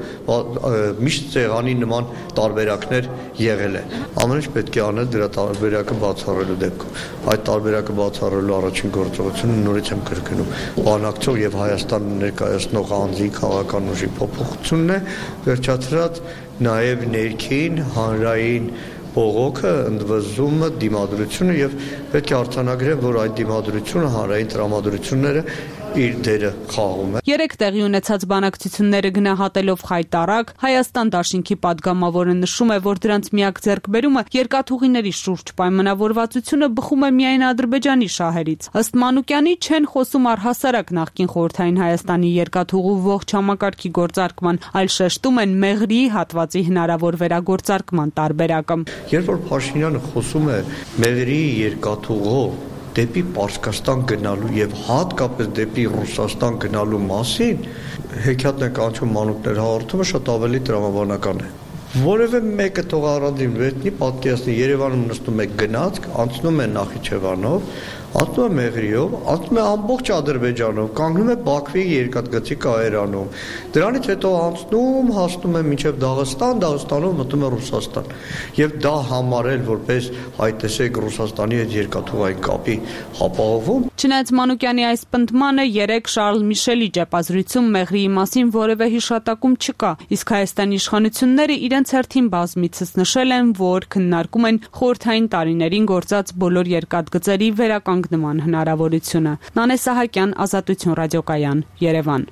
միշտ ցեղանի նման տարբերակներ եղել են։ Ամեն ինչ պետք է անել դրա տարբերակը բացառելու դեպքում։ Այդ տարբերակը բացառելու առաջին գործողությունը նորից եմ կրկնում, բանակցող եւ Հայաստանը ներկայացնող անձի քաղաքական ուժի փոփոխությունն է, վերջացրած նաև ներքին հանրային բողոքը, ընդվզումը, դիմադրությունը եւ պետք է արձանագրել, որ այդ դիմադրությունը հանրային տրամադրությունները իր դերը խաղում է։ Երեք տեղի ունեցած բանակցությունները գնահատելով խայտարակ, Հայաստան դաշինքի падգամավորը նշում է, որ դրանց միակ ձեռքբերումը երկաթուղիների շուրջ պայմանավորվածությունը բխում է միայն Ադրբեջանի շահերից։ Ըստ Մանուկյանի չեն խոսում առհասարակ նախկին խորհրդային Հայաստանի երկաթուղու ողջ համակարգի գործարկման, այլ շեշտում են Մեղրիի հատվածի հնարավոր վերագործարկման տարբերակը։ Երբ որ Փաշինյանը խոսում է Մեղրիի երկաթուղու դեպի Պարսկաստան գնալու եւ հատկապես դեպի Ռուսաստան գնալու մասին հեքիաթն է կանչում մանուկներ հաղորդումը շատ ավելի տրամաբանական է։ Որևէ մեկը թող առանձին վերցնի պատկերացնի Երևանում նստում է գնացք, անցնում է Նախիջևանով, անցնում է Մեղրիով, անցնում է ամբողջ Ադրբեջանով, կանգնում է Բաքվի երկաթգծի կայարանում։ Դրանից հետո անցնում, հասնում է մինչև Դաղստան, Դաղստանով մտնում է Ռուսաստան։ Եվ դա համարել որպես այ տեսեք Ռուսաստանի հետ երկաթուղային կապի ապահովում։ Չնայած Մանուկյանի այս պնդմանը երեք Շարլ Միշելի ճեպազրույցում Մեղրիի մասին որևէ հիշատակում չկա, իսկ Հայաստանի իշխանությունները իրենց հերթին բազմիցս նշել են, որ քննարկում են խորհրդային տարիներին գործած բոլոր երկաթգծերի վերականգնման հնարավորությունը։ Նանե Սահակյան, Ազատություն ռադիոկայան, Երևան։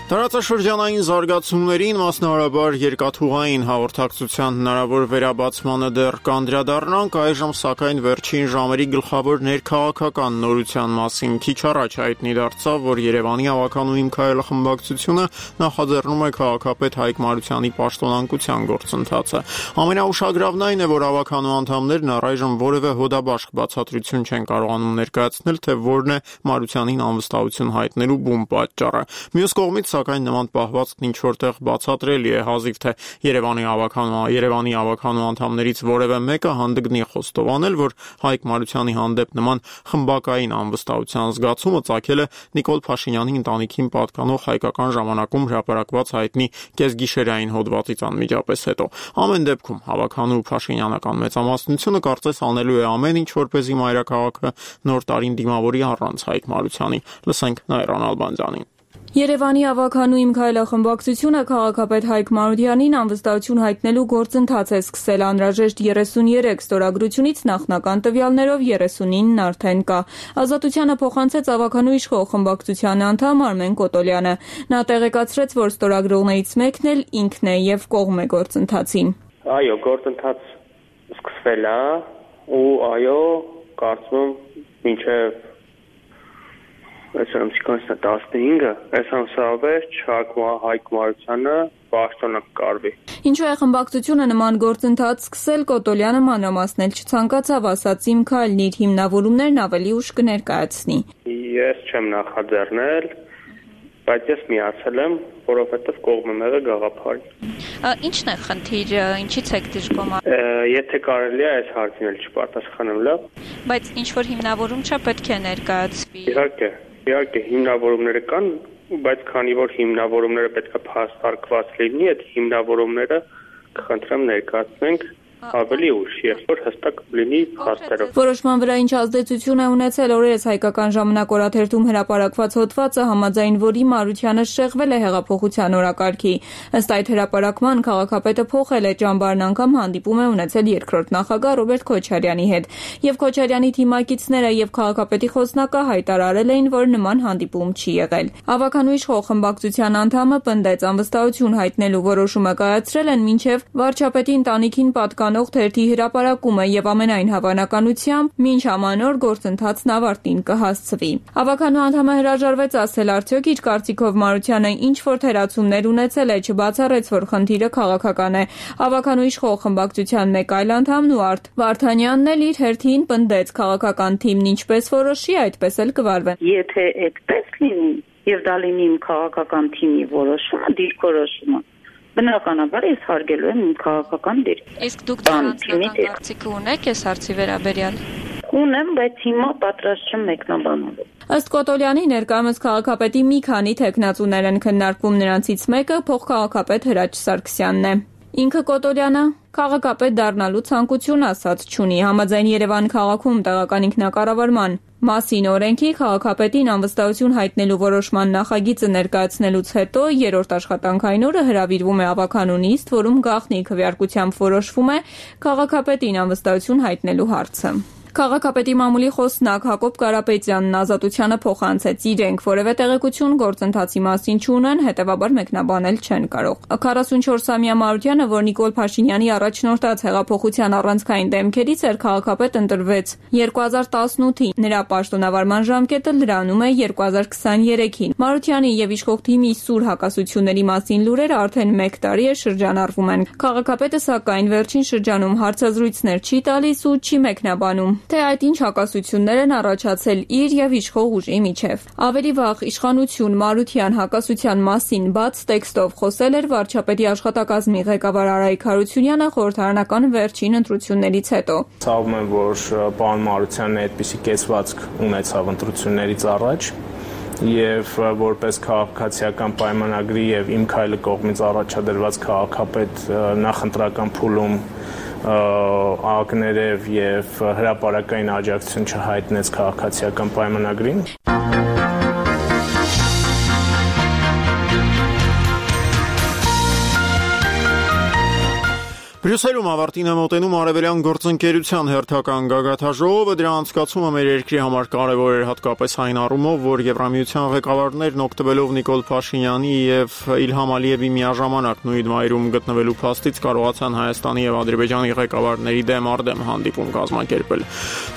Տարածաշրջանային զարգացումներին, մասնավորաբար երկաթուղային հաղորդակցության հնարավոր վերաբացմանը դեռ կանդրադառնանք, այժմ սակայն վերջին ժամերի գլխավոր ներքաղաքական նորության մասին քիչ առաջ հայտնի դարձավ, որ Երևանի ավականու Իմ Քայլը խմբակցությունը նախաձեռնում է քաղաքապետ Հայկ Մարությանի պաշտոնանկության գործընթացը։ Ամենաուշագրավն այն է, որ ավականու անդամներն առայժմ որևէ հոդաբաշխ բացատրություն չեն կարողանում ներկայացնել, թե որն է Մարությանին անվստահություն հայտնելու բուն պատճառը։ Մյուս կողմից սակայն նման պահվածքն ինչ որտեղ բացատրելի է, հազիվ թե Երևանի ավականու Երևանի ավականու անդամներից որևէ մեկը հանդգնի խոստովանել, որ Հայկ Մարությանի հանդեպ նման խմբակային անվստահության զգացումը ծագել է Նիկոլ Փաշինյանի ընտանիքին պատկանող հայկական ժամանակում հրապարակված հայտնի կեսգիշերային հոդվածից անմիջապես հետո։ Ամեն դեպքում ավականու Փաշինյանական մեծամասնությունը կարծես անելու է ամեն ինչ, որպեսզի մայրաքաղաքը նոր տարին դիմավորի առանց Հայկ Մարությանի։ Լսենք Նայրան Ալբանդյանին։ Երևանի ավականու Իմ Քայլը խմբակցությունը քաղաքապետ Հայկ Մարությանին անվստահություն հայտնելու գործընթաց է սկսել անհրաժեշտ երեսունյերեք ստորագրությունից նախնական տվյալներով երեսունինն արդեն կա։ Ազատությանը փոխանցեց ավականու իշխող խմբակցության անդամ Արմեն Կոտոլյանը։ Նա տեղեկացրեց, որ ստորագրողներից մեկն էլ ինքն է եւ կողմ է գործընթացին։ Այո, գործընթաց սկսվել է ու այո, կարծում եմ մինչև Այսօր ամսիքանցնա տասնհինգը, այս ամսավերջ Հայկ Մարությանը պաշտոնը կկարվի։ Ինչու է խմբակցությունը նման գործընթաց սկսել, Կոտոլյանը մանրամասնել չցանկացավ, ասաց Իմ Քայլն իր հիմնավորումներն ավելի ուշ կներկայացնի։ Ես չեմ նախաձեռնել, բայց ես միացել եմ, որովհետև կողմ եմ եղել գաղափարին։ Ինչն է խնդիրը, ինչից եք դժգոհ։ Եթե կարելի է այս հարցին էլ չպարտասխանեմ, լավ։ Բայց ինչ որ հիմնավորում չէ, պետք է ներկայացվի։ Իհարկե, իհարկե հիմնավորումները կան, բայց քանի որ հիմնավորումները պետք է փաստարկված լինի, այդ հիմնավորումները կխնդրեմ ներկայացնենք ավելի ուշ, երբ որ հստակ լինի փաստերով։ Որոշման վրա ինչ ազդեցություն է ունեցել օրերս Հայկական ժամանակ օրաթերթում հրապարակված հոդվածը, համաձայն որի Մարությանը շեղվել է հեղափոխության օրակարգի։ Ըստ այդ հրապարակման քաղաքապետը փոխել է ճամբարն, անգամ հանդիպում է ունեցել երկրորդ նախագահ Ռոբերտ Քոչարյանի հետ։ Եվ Քոչարյանի թիմակիցները եւ քաղաքապետի խոսնակը հայտարարել էին, որ նման հանդիպում չի եղել։ Ավականու իշխող խմբակցության անդամը պնդեց, անվստահություն հայտնելու որոշումը կայացրել են մինչև վարչապետի ընտանիքին պատկանող թերթի հրապարակումը եւ ամենայն հավանականությամբ մինչ ամանոր գործընթացն ավարտին կհասցվի։ Ավականու անդամը հրաժարվեց ասել, արդյոք իր կարծիքով Մարությանը ինչ որ թերացումներ ունեցել է, չբացառեց, որ խնդիրը քաղաքական է։ Ավականու իշխող խմբակցության մեկ այլ անդամ Նուարդ Վարդանյանն էլ իր հերթին պնդեց, քաղաքական թիմն ինչպես որոշի, այդպես էլ կվարվեն։ Եթե այդպես լինի եւ դա լինի իմ քաղաքական թիմի որոշումը, դիրքորոշումը, բնականաբար ես հարգելու եմ իմ քաղաքական դեր։ Իսկ դուք դրանցնական կարծիք ունեք այս հարցի վերաբերյալ։ Ունեմ, բայց հիմա պատրաստ չեմ մեկնաբանելու։ Ըստ Կոտոլյանի ներկայումս քաղաքապետի մի քանի թեկնածուներ են քննարկվում, նրանցից մեկը փոխքաղաքապետ Հրաչ Սարգսյանն է։ Ինքը Կոտոլյանը քաղաքապետ դառնալու ցանկություն ասած չունի։ Համաձայն Երևան քաղաքում տեղական ինքնակառավարման մասին օրենքի քաղաքապետին անվստահություն հայտնելու որոշման նախագիծը ներկայացնելուց հետո երրորդ աշխատանքային օրը հրավիրվում է ավականու նիստ, որում գաղտնի քվեարկությամբ որոշվում է քաղաքապետին անվստահություն հայտնելու հարցը։ Քաղաքապետի մամուլի խոսնակ Հակոբ Կարապետյանն Ազատությանը փոխանցեց իրենք որևէ տեղեկություն գործընթացի մասին չունեն, հետևաբար մեկնաբանել չեն կարող։ քառասունչորսամյա Մարությանը, որ Նիկոլ Փաշինյանի առաջնորդած հեղափոխության առանցքային դեմքերից էր, քաղաքապետ ընտրվեց երկու հազար տասնութին։ Նրա պաշտոնավարման ժամկետը լրանում է երկու հազար քսաներեքին։ Մարությանի եւ իշխող թիմի սուր հակասությունների մասին լուրերը արդեն մեկ տարի է շրջանառվում են։ Քաղաքապետը սակայն վերջին շրջանում հարցազրույցներ չի տալիս ու չի մեկնաբանում, թե այդ ինչ հակասություններ են առաջացել իր եւ իշխող ուժի միջև։ Ավելի վաղ իշխանություն Մարության հակասության մասին բաց տեքստով խոսել էր վարչապետի աշխատակազմի ղեկավար Արայիկ Հարությունյանը խորհրդարանական վերջին ընտրություններից հետո։ Ցավում եմ, որ պարոն Մարությանն այդպիսի կեցվածք ունեցավ ընտրություններից առաջ եւ որպես քաղաքացիական պայմանագրի եւ իմ քայլը կողմից առաջադրված քաղաքապետ նախընտրական փուլում ակներև եւ հրապարակային աջակցություն չհայտնեց քաղաքացիական պայմանագրին։ Բրյուսելում ավարտին է մոտենում Արևելյան գործընկերության հերթական գագաթաժողովը, դրա անցկացումը մեր երկրի համար կարևոր էր հատկապես այն առումով, որ Եվրամիության ղեկավարներն օգտվելով Նիկոլ Փաշինյանի եւ Իլհամ Ալիևի միաժամանակ նույն վայրում գտնվելու փաստից կարողացան Հայաստանի եւ Ադրբեջանի ղեկավարների դեմ առ դեմ հանդիպում կազմակերպել։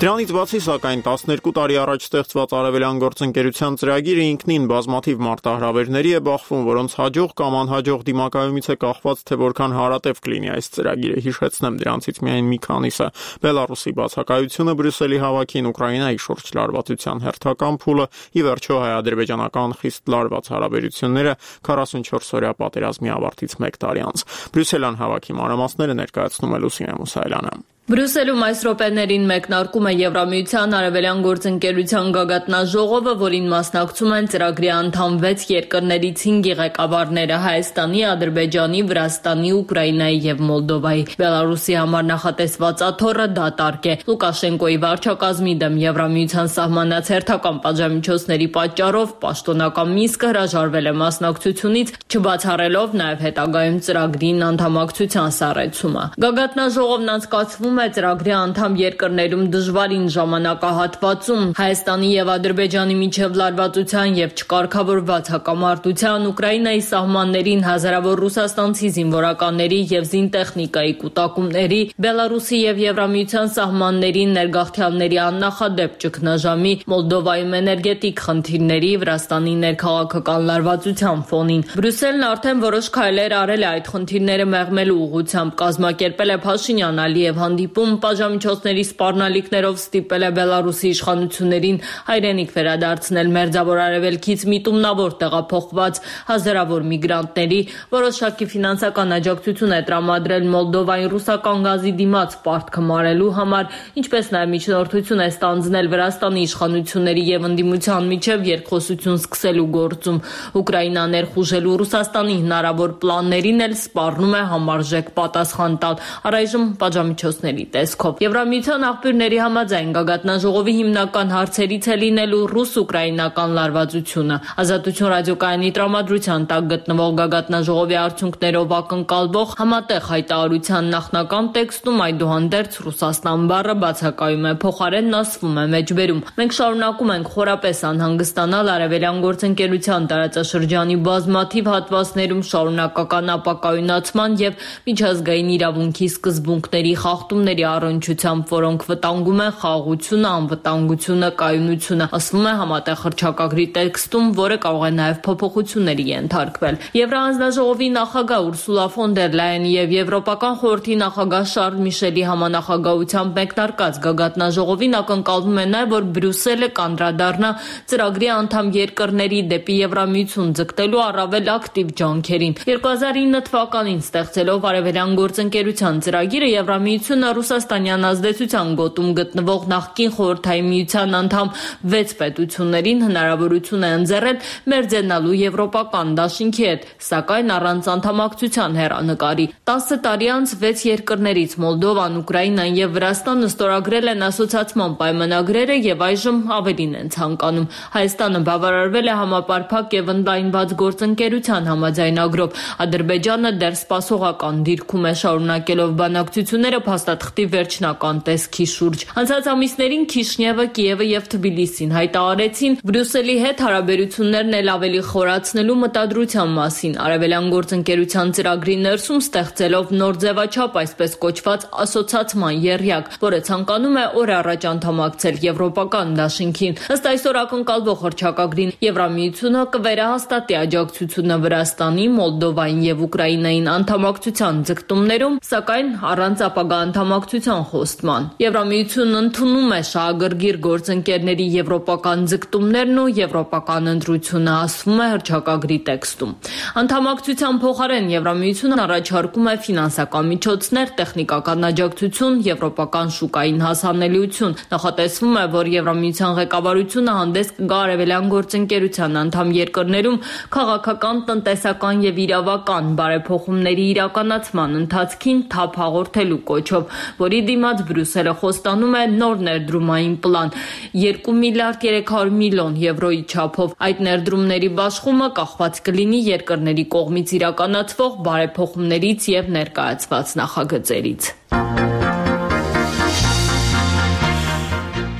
Դրանից բացի, սակայն տասներկու տարի առաջ ստեղծված Արևելյան գործընկերության ծրագիրը ինքնին բազմաթիվ մարտահրավերների է բախվում, որոնց հաջող կամ անհաջող դիմակայումից է կախված, թե որքան հարատև կլինի այս ծրագիրը։ Հիշեցնեմ դրանցից միայն մի քանիսը՝ Բելարուսի բացակայությունը Բրյուսելի հավաքին, Ուկրաինայի շուրջ լարվածության հերթական փուլը, ի վերջո հայ-ադրբեջանական խիստ լարված հարաբերությունները քառասունչորս օրյա պատերազմի ավարտից մեկ տարի անց։ Բրյուսելյան հավաքի մանրամասները ներկայացնում է Լուսինե Մուսայելյանը։ Բրյուսելում այս րոպեներին մեկնարկում է Եվրամիության Արևելյան գործընկերության գագաթնաժողովը, որին մասնակցում են ծրագրի անդամ վեց երկրներից հինգի ղեկավարները՝ Հայաստանի, Ադրբեջանի, Վրաստանի, Ուկրաինայի եւ Մոլդովայի։ Բելարուսի համար նախատեսված աթոռը դատարկ է։ Լուկաշենկոյի վարչակազմի դեմ Եվրամիության սահմանած հերթական պատժամիջոցների պատճառով պաշտոնական Մինսկը հրաժարվել է մասնակցությունից, չբացառելով նաեւ հետագայում ծրագրին անդամակցության սառեցումը։ Գագաթնաժողովն անցկացվում է ծրագրի անդամ երկրներում դժվարին ժամանակահատվածում Հայաստանի եւ Ադրբեջանի միջև լարվածության եւ չկարգավորված հակամարտության, Ուկրաինայի սահմաններին հազարավոր ռուսաստանցի զինվորականների եւ զինտեխնիկայի կուտակումների, Բելարուսի եւ Եվրամիության սահմաններին ներգաղթյալների աննախադեպ ճգնաժամի, Մոլդովայում էներգետիկ խնդիրների, Վրաստանի ներքաղաքական լարվածության ֆոնին Բրյուսելն արդեն որոշ քայլեր արել է այդ խնդիրները մեղմելու ուղղությամբ, կազմակերպել է Փաշինյան-Ալիև հանդիպում, պատժամիջոցների սպառնալիքներով ստիպել է Բելարուսի իշխանություններին հայրենիք վերադարձնել Մերձավոր Արևելքից միտումնավոր տեղափոխված հազարավոր միգրանտների, որոշակի ֆինանսական աջակցություն է տրամադրել Մոլդովային ռուսական գազի դիմաց պարտքը մարելու համար, ինչպես նաև միջնորդություն է ստանձնել Վրաստանի իշխանությունների եւ ընդդիմության միջև երկխոսություն սկսելու գործում։ Ուկրաինան ներխուժելու Ռուսաստանի հնարավոր պլաններին էլ սպառնում է համարժեք պատասխան տալ, առայժմ պատժամիջոցների տեսքով։ Եվրամիության աղբյուրների համաձայն գագաթնաժողովի հիմնական հարցերից է լինելու ռուս-ուկրաինական լարվածությունը։ Ազատություն ռադիոկայանի տրամադրության տակ գտնվող գագաթնաժողովի արդյունքներով ակնկալվող համատեղ հայտարարության նախնական տեքստում այդուհանդերձ Ռուսաստան բառը բացակայում է, փոխարենն ասվում է մեջբերում։ Մենք շարունակում ենք խորապես անհանգստանալ Արևելյան գործընկերության տարածաշրջանի բազմաթիվ հատվածներում շարունակական ապակայունացման եւ միջազգային իրավունքի սկզբունքների խախտումների առնչությամբ, որոնք վտանգում են խաղաղությունը, անվտանգությունը, կայունությունը, ասվում է համատեղ հռչակագրի տեքստում, որը կարող է նաև փոփոխությունների ենթարկվել։ Եվրահանձնաժողովի նախագահ Ուրսուլա ֆոն դեր Լայենի եւ Եվրոպական խորհրդի նախագահ Շարլ Միշելի համանախագահությամբ մեկնարկած գագաթնաժողովին ակնկալվում է նաև, որ Բրյուսելը կանդրադառնա ծրագրի անդամ երկրների դեպի Եվրամիություն ձգտելու առավել ակտիվ ջանքերին։ երկու հազար ինը թվականին ստեղծելով Արևելյան գործընկերության ծրագիրը, Եվրամիությունը Ռուսաստանյան ազդեցության գոտում գտնվող նախկին Խորհրդային Միության անդամ վեց պետություններին հնարավորություն է ընձեռել մերձենալու եվրոպական դաշինքի հետ, սակայն առանց անդամակցության հեռանկարի։ տասը տարի անց վեց երկրներից Մոլդովան, Ուկրաինան եւ Վրաստանը ստորագրել են ասոցիացման պայմանագրերը եւ այժմ ավելին են ցանկանում։ Հայաստանը բավարարվել է համապարփակ եւ ընդլայնված գործընկերության համաձայնագրով։ Ադրբեջանը դեռ սպասողական դիրքում է, շարունակելով բանակցությունները թղթի վերջնական տեսքի շուրջ։ Անցած ամիսներին Քիշնևը, Կիևը եւ Թբիլիսին հայտարարեցին Բրյուսելի հետ հարաբերություններն էլ ավելի խորացնելու մտադրության մասին, արևելյան գործընկերության ծրագրի ներսում ստեղծելով նոր ձևաչափ, այսպես կոչված ասոցիացիան եռյակ, որը ցանկանում է օր առաջ անդամակցել Եվրոպական դաշինքին։ Ըստ այսօր ակնկալվող հռչակագրին Եվրամիությունը կվերահաստատի աջակցությունը Վրաստանի, Մոլդովային եւ Ուկրաինային անդամակցության ձգտումներում, սակայն առանց ապագա անդամակցության խոստման։ Եվրամիությունն ընդունում է շահագրգիռ գործընկերների եվրոպական ձգտումներն ու եվրոպական ընտրությունը, ասվում է հռչակագրի տեքստում։ Անդամակցության փոխարեն Եվրամիությունն առաջարկում է ֆինանսական միջոցներ, տեխնիկական աջակցություն, եվրոպական շուկային հասանելիություն։ Նախատեսվում է, որ Եվրամիության ղեկավարությունը հանդես կգա արևելյան գործընկերության անդամ երկրներում քաղաքական, տնտեսական եւ իրավական բարեփոխումների իրականացման ընթացքին թափ հաղորդելու կոչով, որի դիմաց Բրյուսելը խոստանում է նոր ներդրումային պլան երկու միլիարդ երեք հարյուր միլիոն եվրոյի չափով։ Այդ ներդրումների բաշխումը կախված կլինի երկրների կողմից իրականացվող բարեփոխումներից եւ ներկայացված նախագծերից։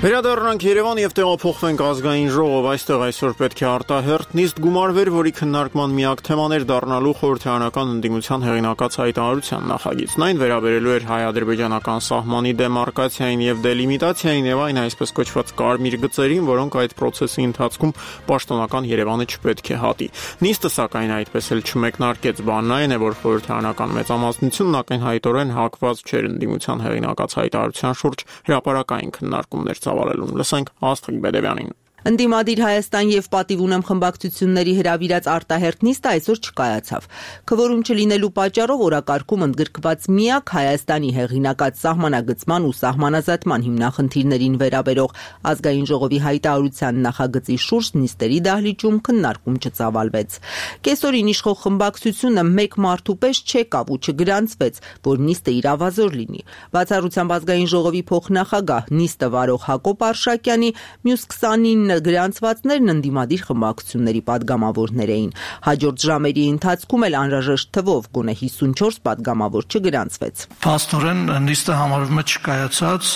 Վերադառնանք Երևան եւ տեղափոխվենք ազգային ժողով, այստեղ այսօր պետք է արտահերթ նիստ գումարվեր, որի քննարկման միակ թեման էր դառնալու խորհրդարանական ընդդիմության հեղինակած հայտարարության նախագիծն։ Այն վերաբերելու էր հայ-ադրբեջանական սահմանի դեմարկացիային եւ դելիմիտացիային եւ այն այսպես կոչված կարմիր գծերին, որոնք այդ process-ի ընթացքում պաշտոնական Երևանը չպետք է հատի։ Նիստը սակայն այդպես էլ չմեկնարկեց, բանն այն է, որ խորհրդարանական մեծամասնությունն ակնհայտորեն հակված չէր ընդդիմության հեղինակած հայտարարության շուրջ հրապարակային քննարկումներ ծավալելուն։ Լսենք Աստղիկ Բեդևյանին։ Ընդդիմադիր Հայաստան եւ պատիվ ունեմ խմբակցությունների հրավիրած արտահերթ նիստը այսօր չկայացավ։ Քվորում չլինելու պատճառով օրակարգում ընդգրկված միակ Հայաստանի հեղինակած սահմանագծման ու սահմանազատման հիմնախնդիրներին վերաբերող ազգային ժողովի հայտարարության նախագծի շուրջ նիստերի դահլիճում քննարկում չծավալվեց։ Կեսօրին իշխող խմբակցությունը մեկ մարդու պես չեկավ ու չգրանցվեց, որ նիստը իրավազոր լինի։ Բացառությամբ ազգային ժողովի փոխնախագահ նիստը վարող Հակոբ Արշակյանի մյուս քսանինը գրանցվածներն ընդդիմադիր խմբակցությունների падգամավորներ էին։ Հաջորդ ժամերի ընթացքում էլ անհրաժեշտ թվով գոնե հիսունչորս падգամավոր չգրանցվեց։ Փաստորեն նիստը համարվում է չկայացած,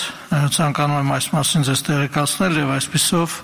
ցանկանում եմ այս մասին ձեզ տեղեկացնել եւ այսպիսով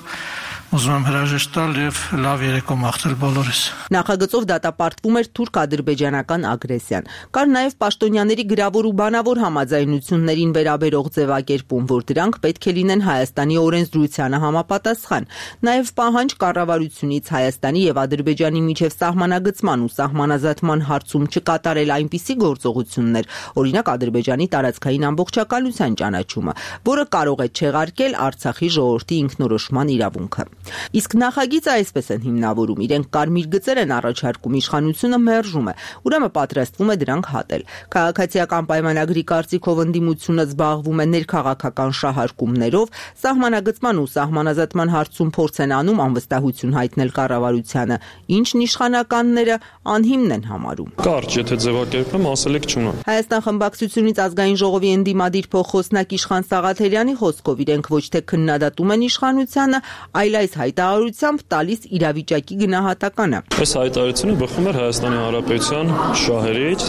ուզում եմ հրաժեշտ տալ եւ լավ երեկո մաղթել բոլորիս։ Նախագծով դատապարտվում էր թուրք-ադրբեջանական ագրեսիան։ Կար նաեւ պաշտոնյաների գրավոր ու բանավոր համաձայնություններին վերաբերող ձևակերպում, որ դրանք պետք է լինեն Հայաստանի օրենսդրությանը համապատասխան։ Նաեւ պահանջ կառավարությունից Հայաստանի եւ Ադրբեջանի միջև սահմանագծման ու սահմանազատման հարցում չկատարել այնպիսի գործողություններ, օրինակ Ադրբեջանի տարածքային ամբողջականության ճանաչումը, որը կարող է չեղարկել Արցախի ժողովրդի ինքնորոշման իրավունքը։ Իսկ նախագիծը այսպես են հիմնավորում. իրենք կարմիր գծեր են առաջարկում, իշխանությունը մերժում է, ուրեմն պատրաստվում է դրանք հատել։ Քաղաքացիական պայմանագրի կարծիքով ընդդիմությունը զբաղվում է ներքաղաքական շահարկումներով, սահմանագծման ու սահմանազատման հարցում փորձ են անում անվստահություն հայտնել կառավարությանը, ինչն իշխանականները անհիմն են համարում։ Կարճ, եթե ձևակերպեմ, ասելիք չունեմ։ Հայաստան խմբակցությունից ազգային ժողովի ընդդիմադիր փոխխոսնակ Իշխան Սաղաթելյանի խոսքով իրենք ոչ թե քննադատում են իշխանությանը, այլ այս հայտարարությամբ տալիս իրավիճակի գնահատականը։ Այս հայտարարությունը բխում էր Հայաստանի Հանրապետության շահերից,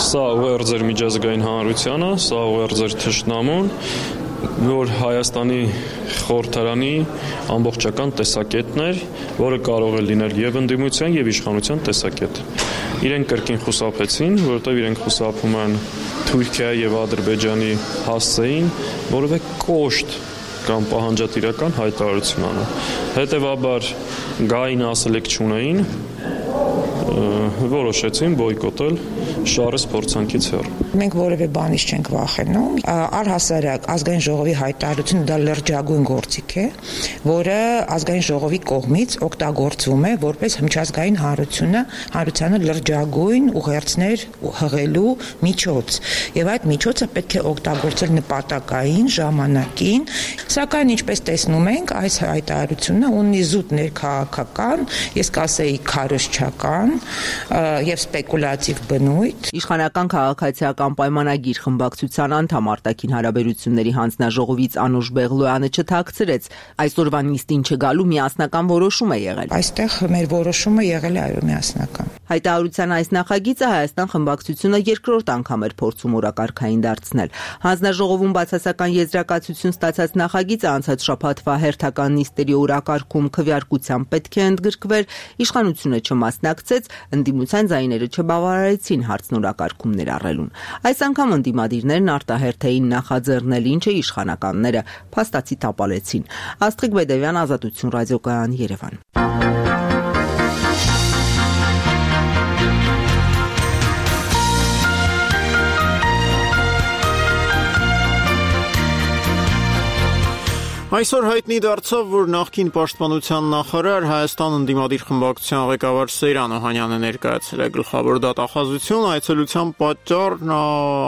սա ուղերձ էր միջազգային հանրությանը, սա ուղերձ էր թշնամուն, որ Հայաստանի խորհրդարանի ամբողջական տեսակետն էր, որը կարող է լինել եւ ընդդիմության եւ իշխանության տեսակետ։ Իրենք կրկին խուսափեցին, որովհետեւ իրենք խուսափում են Թուրքիայի եւ Ադրբեջանի հասցեին, որովե կոշտ կամ պահանջատիրական հայտարարություն անում։ Հետևաբար գային ասելիք չունեին, որոշեցին բոյկոտել շարժ փորձանքից հեռ։ Մենք որևէ բանից չենք վախենում։ Առհասարակ ազգային ժողովի հայտարարությունը դա լրջագույն գործիք է, որը ազգային ժողովի կողմից օգտագործվում է որպես միջազգային հանրությունը, հանրությանը լրջագույն ուղերձներ հղելու միջոց։ Եվ այդ միջոցը պետք է օգտագործել նպատակային, ժամանակին, սակայն ինչպես տեսնում ենք, այս հայտարարությունը ունի զուտ ներքաղաքական, ես կասեի քարոզչական եւ սպեկուլատիվ բնույթ, State։ Իշխանական քաղաքացիական պայմանագիր խմբակցության անդամ արտաքին հարաբերությունների հանձնաժողովից Անուշ Բեղլոյանը չթաքցրեց այսօրվա նիստին չգալու միասնական որոշում է եղել։ Այստեղ մեր որոշումը եղել է այո միասնական։ Հայտարարության այս նախագիծը Հայաստան խմբակցությունը երկրորդ անգամ էր փորձում օրակարգային դարձնել։ Հանձնաժողովում բացասական եզրակացություն ստացած նախագիծը անցած շաբաթվա հերթական նիստերի օրակարգում քվեարկությամբ պետք է ընդգրկվեր, իշխանությունը չմասնակցեց, ընդդիմության ձայները չբավարարեցին հարցն օրակարգում ներառելուն։ Այս անգամ ընդդիմադիրներն արտահերթ էին նախաձեռնել, ինչը իշխանականները փաստացի տապալեցին։ Աստղիկ Բեդևյան, Ազատություն ռադիոկայան, Երևան։ Այսօր հայտնի դարձավ, որ նախկին պաշտպանության նախարար Հայաստան ընդդիմադիր խմբակցության ղեկավար Սեյրան Օհանյանը ներկայացել է գլխավոր դատախազություն, այցելության պատճառ նա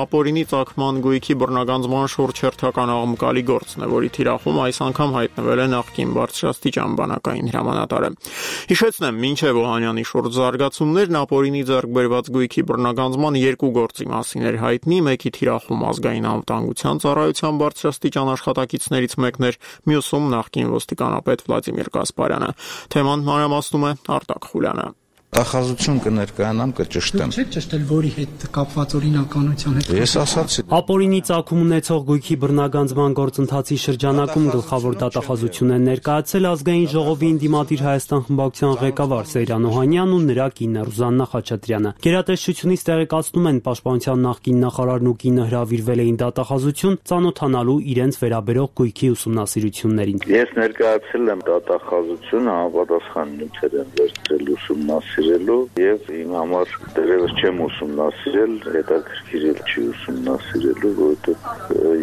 ապօրինի ծագման գույքի բռնագանձման շուրջ հերթական աղմկալի գործն է, որի թիրախում այս անգամ հայտնվել է նախկին բարձրաստիճան բանակային հրամանատարը։ Հիշեցնեմ, մինչև Օհանյանի շուրջ զարգացումներն ապօրինի ձեռք բերված գույքի բռնագանձման երկու գործի մասին էր հայտնի, մեկի թիրախում ազգային անվտանգության ծառայության բարձրաստիճան աշխատակիցներից մեկն էր, մյուսում նախկին ոստիկանապետ Վլադիմիր Գասպարյանը։ Թեման մանրամասնում է Արտակ Խուլյանը։ Տախազություն կներկայանամ, կճշտեմ։ Չէ՞ ճշտել որի հետ կապված օրինականության հետ։ Ես ասացի։ Ապօրինի ծագում ունեցող գույքի բռնագանձման գործընթացի շրջանակում գլխավոր դատախազություն են ներկայացել ազգային ժողովի ընդդիմադիր Հայաստան խմբակցության ղեկավար Սեյրան Օհանյանն ու նրա կինը Ռուզաննա Խաչատրյանը։ Գերատեսչությունից տեղեկացնում են, պաշտպանության նախկին նախարարն ու կինը հրավիրվել էին դատախազություն ծանոթանալու իրենց վերաբերող գույքի ուսումնասիրություններին։ Ես ներկայացել եմ դատախազությունը, համապատասխան նյութեր են վերցրել ուսումնասիրելու եւ իմ համար դեռևս չեմ ուսումնասիրել, հետաքրքիր էլ չի ուսումնասիրելու, որովհետեւ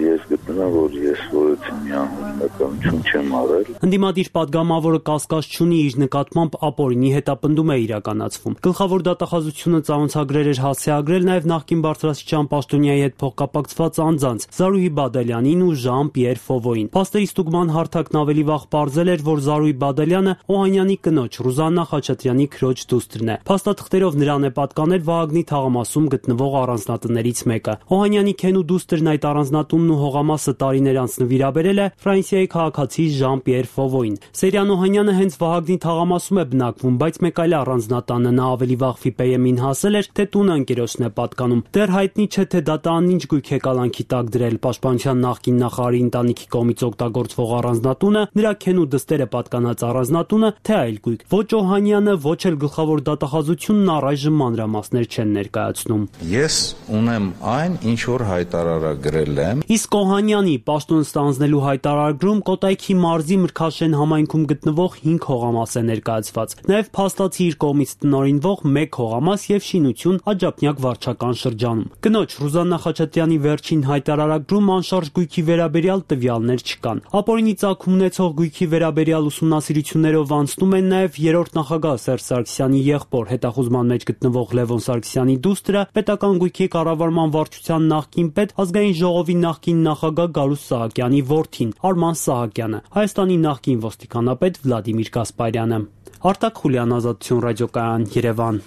ես գտնում եմ, որ ես որևէ միանունականություն չեմ արել։ Ընդդիմադիր падգամավորը կասկած չունի իր նկատմամբ ապօրինի հետապնդում է իրականացվում։ Գլխավոր դատախազությունը ծանոթագրեր էր հասցեագրել նաեւ նախկին բարձրաստիճան պաշտոնյայի հետ փոխկապակցված անձանց Զարուհի Բադալյանին ու Ժան-Պիեր Ֆովոյին։ Փաստերի ստուգման հարթակն ավելի վաղ պարզել էր, որ Զարուհի Բադալյանը Օհանյանի կնոջ Ռուզաննա Խաչատրյանի քրոջ դուստրն է։ Փաստաթղթերով նրան է պատկանել Վահագնի թաղամասում գտնվող առանձնատներից մեկը։ Օհանյանի քենու դուստրն այդ առանձնատունն ու հողամասը տարիներ անց նվիրաբերել է Ֆրանսիայի քաղաքացի Ժան-Պիեր Ֆովոյին։ Սեյրան Օհանյանը հենց Վահագնի թաղամասում է բնակվում, բայց մեկ այլ առանձնատանը նա ավելի վաղ Ֆիպեյեմին հասել էր, թե տունը ընկերոջն է պատկանում։ Դեռ հայտնի չէ, թե դատարանն ինչ գույք է կալանքի տակ դրել։ Պաշտպանության նախկին նախարարի ընտանիքի կողմից օգտագործվող առանձնատունը, նրա քենու դստերը պատկանած առանձնատունը, թե այլ գույք։ Ոչ Օհանյանը, ոչ էլ գլխավոր դատախազությունն առայժմ մանրամասներ չեն ներկայացնում։ Ես ունեմ այն, ինչ որ հայտարարագրել եմ։ Իսկ Օհանյանի պաշտոն ստանձնելու հայտարարագրում Կոտայքի մարզի Մրգաշեն համայնքում գտնվող հինգ հողամաս է ներկայացված։ Նաև փաստացի իր կողմից տնօրինվող մեկ հողամաս եւ շինություն Աջափնյակ վարչական շրջանում։ Կնոջ Ռուզաննա Խաչատրյանի վերջին հայտարարագրում անշարժ գույքի վերաբերյալ տվյալներ չկան։ Ապօրինի ծագում ունեցող գույքի վերաբերյալ ուսումնասիրություններով անցնում են նաև երրորդ նախագահ Սերժ Սարգսյանի եղբոր, հետախուզման մեջ գտնվող Լևոն Սարգսյանի դուստրը, պետական գույքի կառավարման վարչության նախկին պետ, ազգային ժողովի նախկին նախագահ Գարուս Սահակյանի որդին Արման Սահակյանը, Հայաստանի նախկին ոստիկանապետ Վլադիմիր Գասպարյանը։ Արտակ Խուլյան, Ազատություն ռադիոկայան, Երևան։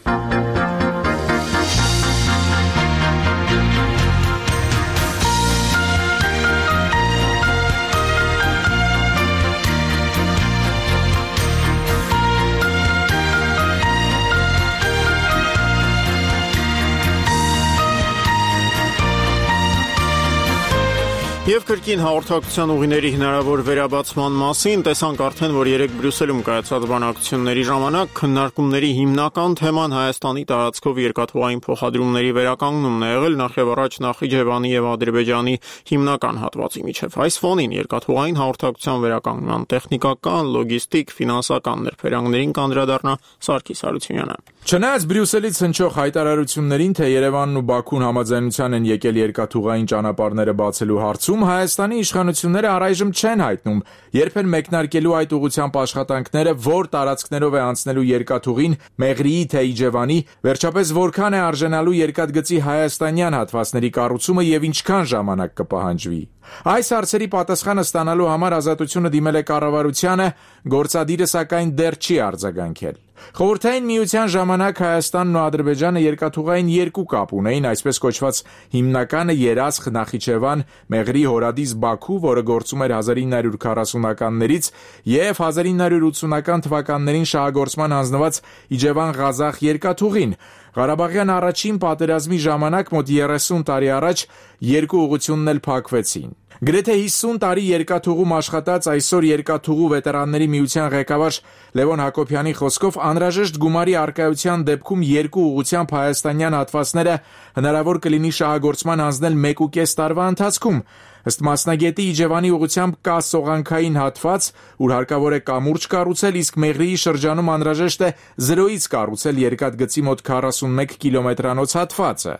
Եվ կրկին հաղորդակցության ուղիների հնարավոր վերաբացման մասին տեսանք արդեն, որ երեկ Բրյուսելում կայացած բանակցությունների ժամանակ քննարկումների հիմնական թեման Հայաստանի տարածքով երկաթուղային փոխադրումների վերականգնումն է եղել, նախ եւ առաջ Նախիջևանի եւ Ադրբեջանի հիմնական հատվածի միջև։ Այս ֆոնին երկաթուղային հաղորդակցության վերականգնման տեխնիկական, լոգիստիկ, ֆինանսական ներբերանգներին կանդրադառնա Սարգիս Հարությունյանը։ Չնայած Բրյուսելից հնչող հայտարարություններին, թե Երևանն ու Բաքուն համաձայնության են եկել երկաթուղային ճանապարհները բացելու հարցում, Հայաստանի իշխանությունները առայժմ չեն հայտնում երբեք մեկնարկելու այդ ուղղությամբ աշխատանքները, որ տարածքներով է անցնելու երկաթուղին Մեղրիի թե Իջևանի, վերջապես որքան է արժանալու երկաթգծի հայաստանյան հատվածների կառուցումը եւ ինչքան ժամանակ կպահանջվի։ Այս հարցերի պատասխանը ստանալու համար Ազատությունը դիմել է կառավարությանը, գործադիրը սակայն դեռ չի արձագանքել։ Խորհրդային միության ժամանակ Հայաստանն ու Ադրբեջանը երկաթուղային երկու կապ ունեին, այսպես կոչված հիմնականը Երասխ, Նախիջևան, Մեղրի, Հորադիս, Բաքու, որը գործում էր հազար ինը հարյուր քառասունականներից և հազար ինը հարյուր ութսունական թվականներին շահագործման հանձնված Իջևան-Ղազախ երկաթուղին։ Ղարաբաղյան առաջին պատերազմի ժամանակ մոտ երեսուն տարի առաջ երկու ուղղությունն էլ փակվեցին։ Գրեթե հիսուն տարի երկաթուղում աշխատած այսօր Երկաթուղու վետերանների միության ղեկավար Լևոն Հակոբյանի խոսքով անհրաժեշտ գումարի առկայության դեպքում երկու ուղղությամբ հայաստանյան հատվածները հնարավոր կլինի շահագործման հանձնել մեկուկես տարվա ընթացքում։ Ըստ մասնագետի Իջևանի ուղղությամբ կա սողանքային հատված, ուր հարկավոր է կամուրջ կառուցել, իսկ Մեղրիի շրջանում անհրաժեշտ է զրոյից կառուցել երկաթգծի մոտ քառասունմեկ կիլոմետրանոց հատվածը։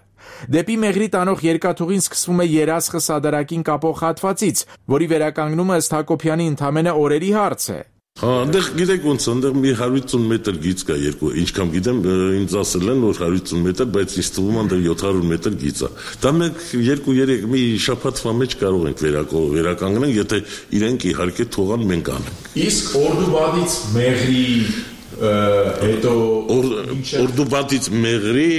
Դեպի Մեղրի տանող երկաթուղին սկսվում է Երասխը Սադարակին կապող հատվածից, որի վերականգնումը ըստ Հակոբյանի ընդամենը օրերի հարց է։ Հա, այնտեղ գիտեք ոնց, այնտեղ մի հարյուր ութսուն մետր գիծ կա երկու, ինչքան գիտեմ, ինձ ասել են, որ հարյուր ութսուն մետր, բայց ինձ թվում է այնտեղ յոթ հարյուր մետր գիծ է։ Դա մենք երկու երեք մի շաբաթվա մեջ կարող ենք վերականգնել, եթե իրենք իհարկե թողան մենք անենք։ Իսկ Օրդուբադից Մեղրի հետո Օրդուբադից Մեղրի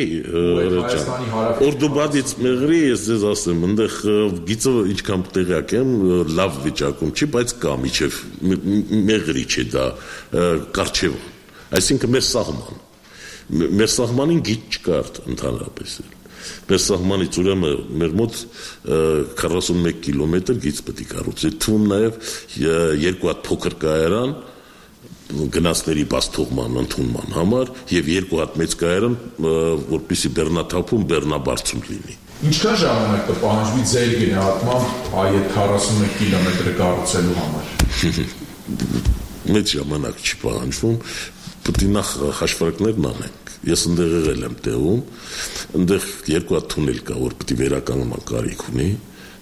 Օրդուբադից Մեղրի ես ձեզ ասեմ, այնտեղ գիծը ինչքան տեղյակ եմ, լավ վիճակում չի, բայց կա միջև Մեղրի չէ դա Կարչևը, այսինքն մեր սահման, մեր սահմանին գիծ չկար ընդհանրապես։ Մեր սահմանից ուրեմն մեր մոտ քառասունմեկ կիլոմետր գիծ պետք է կառուցել, թվում նաև երկու հատ փոքր կայարան գնացների բաստողման ընդունման համար եւ երկու հատ մեծ կայարան, որպեսզի բեռնաթափում բեռնաբարձում լինի։ Ինչքան ժամանակ կպահանջվի ձեր գնահատմամբ այդ քառասունմեկ կիլոմետրը կառուցելու համար։ Մեծ ժամանակ չի պահանջվում, պետք է նախ հաշվարկներն անենք։ Ես ընդեղ եղել եմ տեղում, ընդեղ երկու հատ թունել կա, որ պետք է վերականգնման կարիք ունի։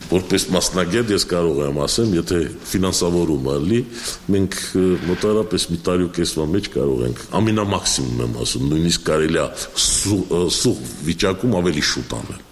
Որպես մասնագետ ես կարող եմ ասեմ, եթե ֆինանսավորումը լի, մենք մոտարապես մի տարի ու կեսվա մեջ կարող ենք, ամենամաքսիմում եմ ասում, նույնիսկ կարելի է սուղ վիճակում ավելի շուտ անել։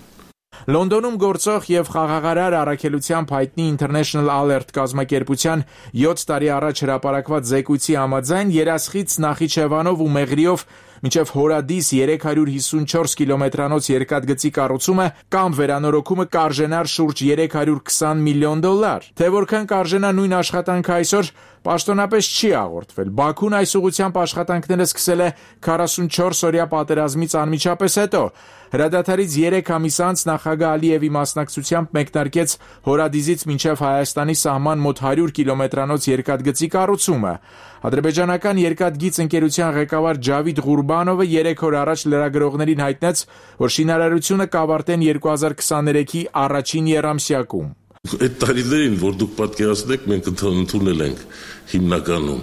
Լոնդոնում գործող եւ խաղաղարար առաքելությամբ հայտնի International Alert կազմակերպության յոթ տարի առաջ հրապարակված զեկույցի համաձայն Երասխից Նախիջևանով ու Մեղրիով մինչև Հորադիս երեք հարյուր հիսունչորս կիլոմետրանոց երկաթգծի կառուցումը կամ վերանորոգումը կարժենար շուրջ երեք հարյուր քսան միլիոն դոլար։ Թե որքան կարժենա նույն աշխատանքը այսօր պաշտոնապես չի հաղորդվել։ Բաքուն այս ուղղությամբ աշխատանքները սկսել է քառասունչորս օրյա պատերազմից անմիջապես հետո։ Հրադադարից երեք ամիս անց նախագահ Ալիևի մասնակցությամբ մեկնարկեց Հորադիզից մինչև Հայաստանի սահման մոտ հարյուր կիլոմետրանոց երկաթգծի կառուցումը։ Ադրբեջանական երկաթգիծ ընկերության ղեկավար Ջավիդ Ղուրբանովը երեք օր առաջ լրագրողներին հայտնեց, որ շինարարությունը կավարտեն երկու հազար քսաներեքի առաջին եռամսյակում։ Այդ տարիներին, որ դուք պատկերացնեք, մենք ընդունել ենք հիմնականում,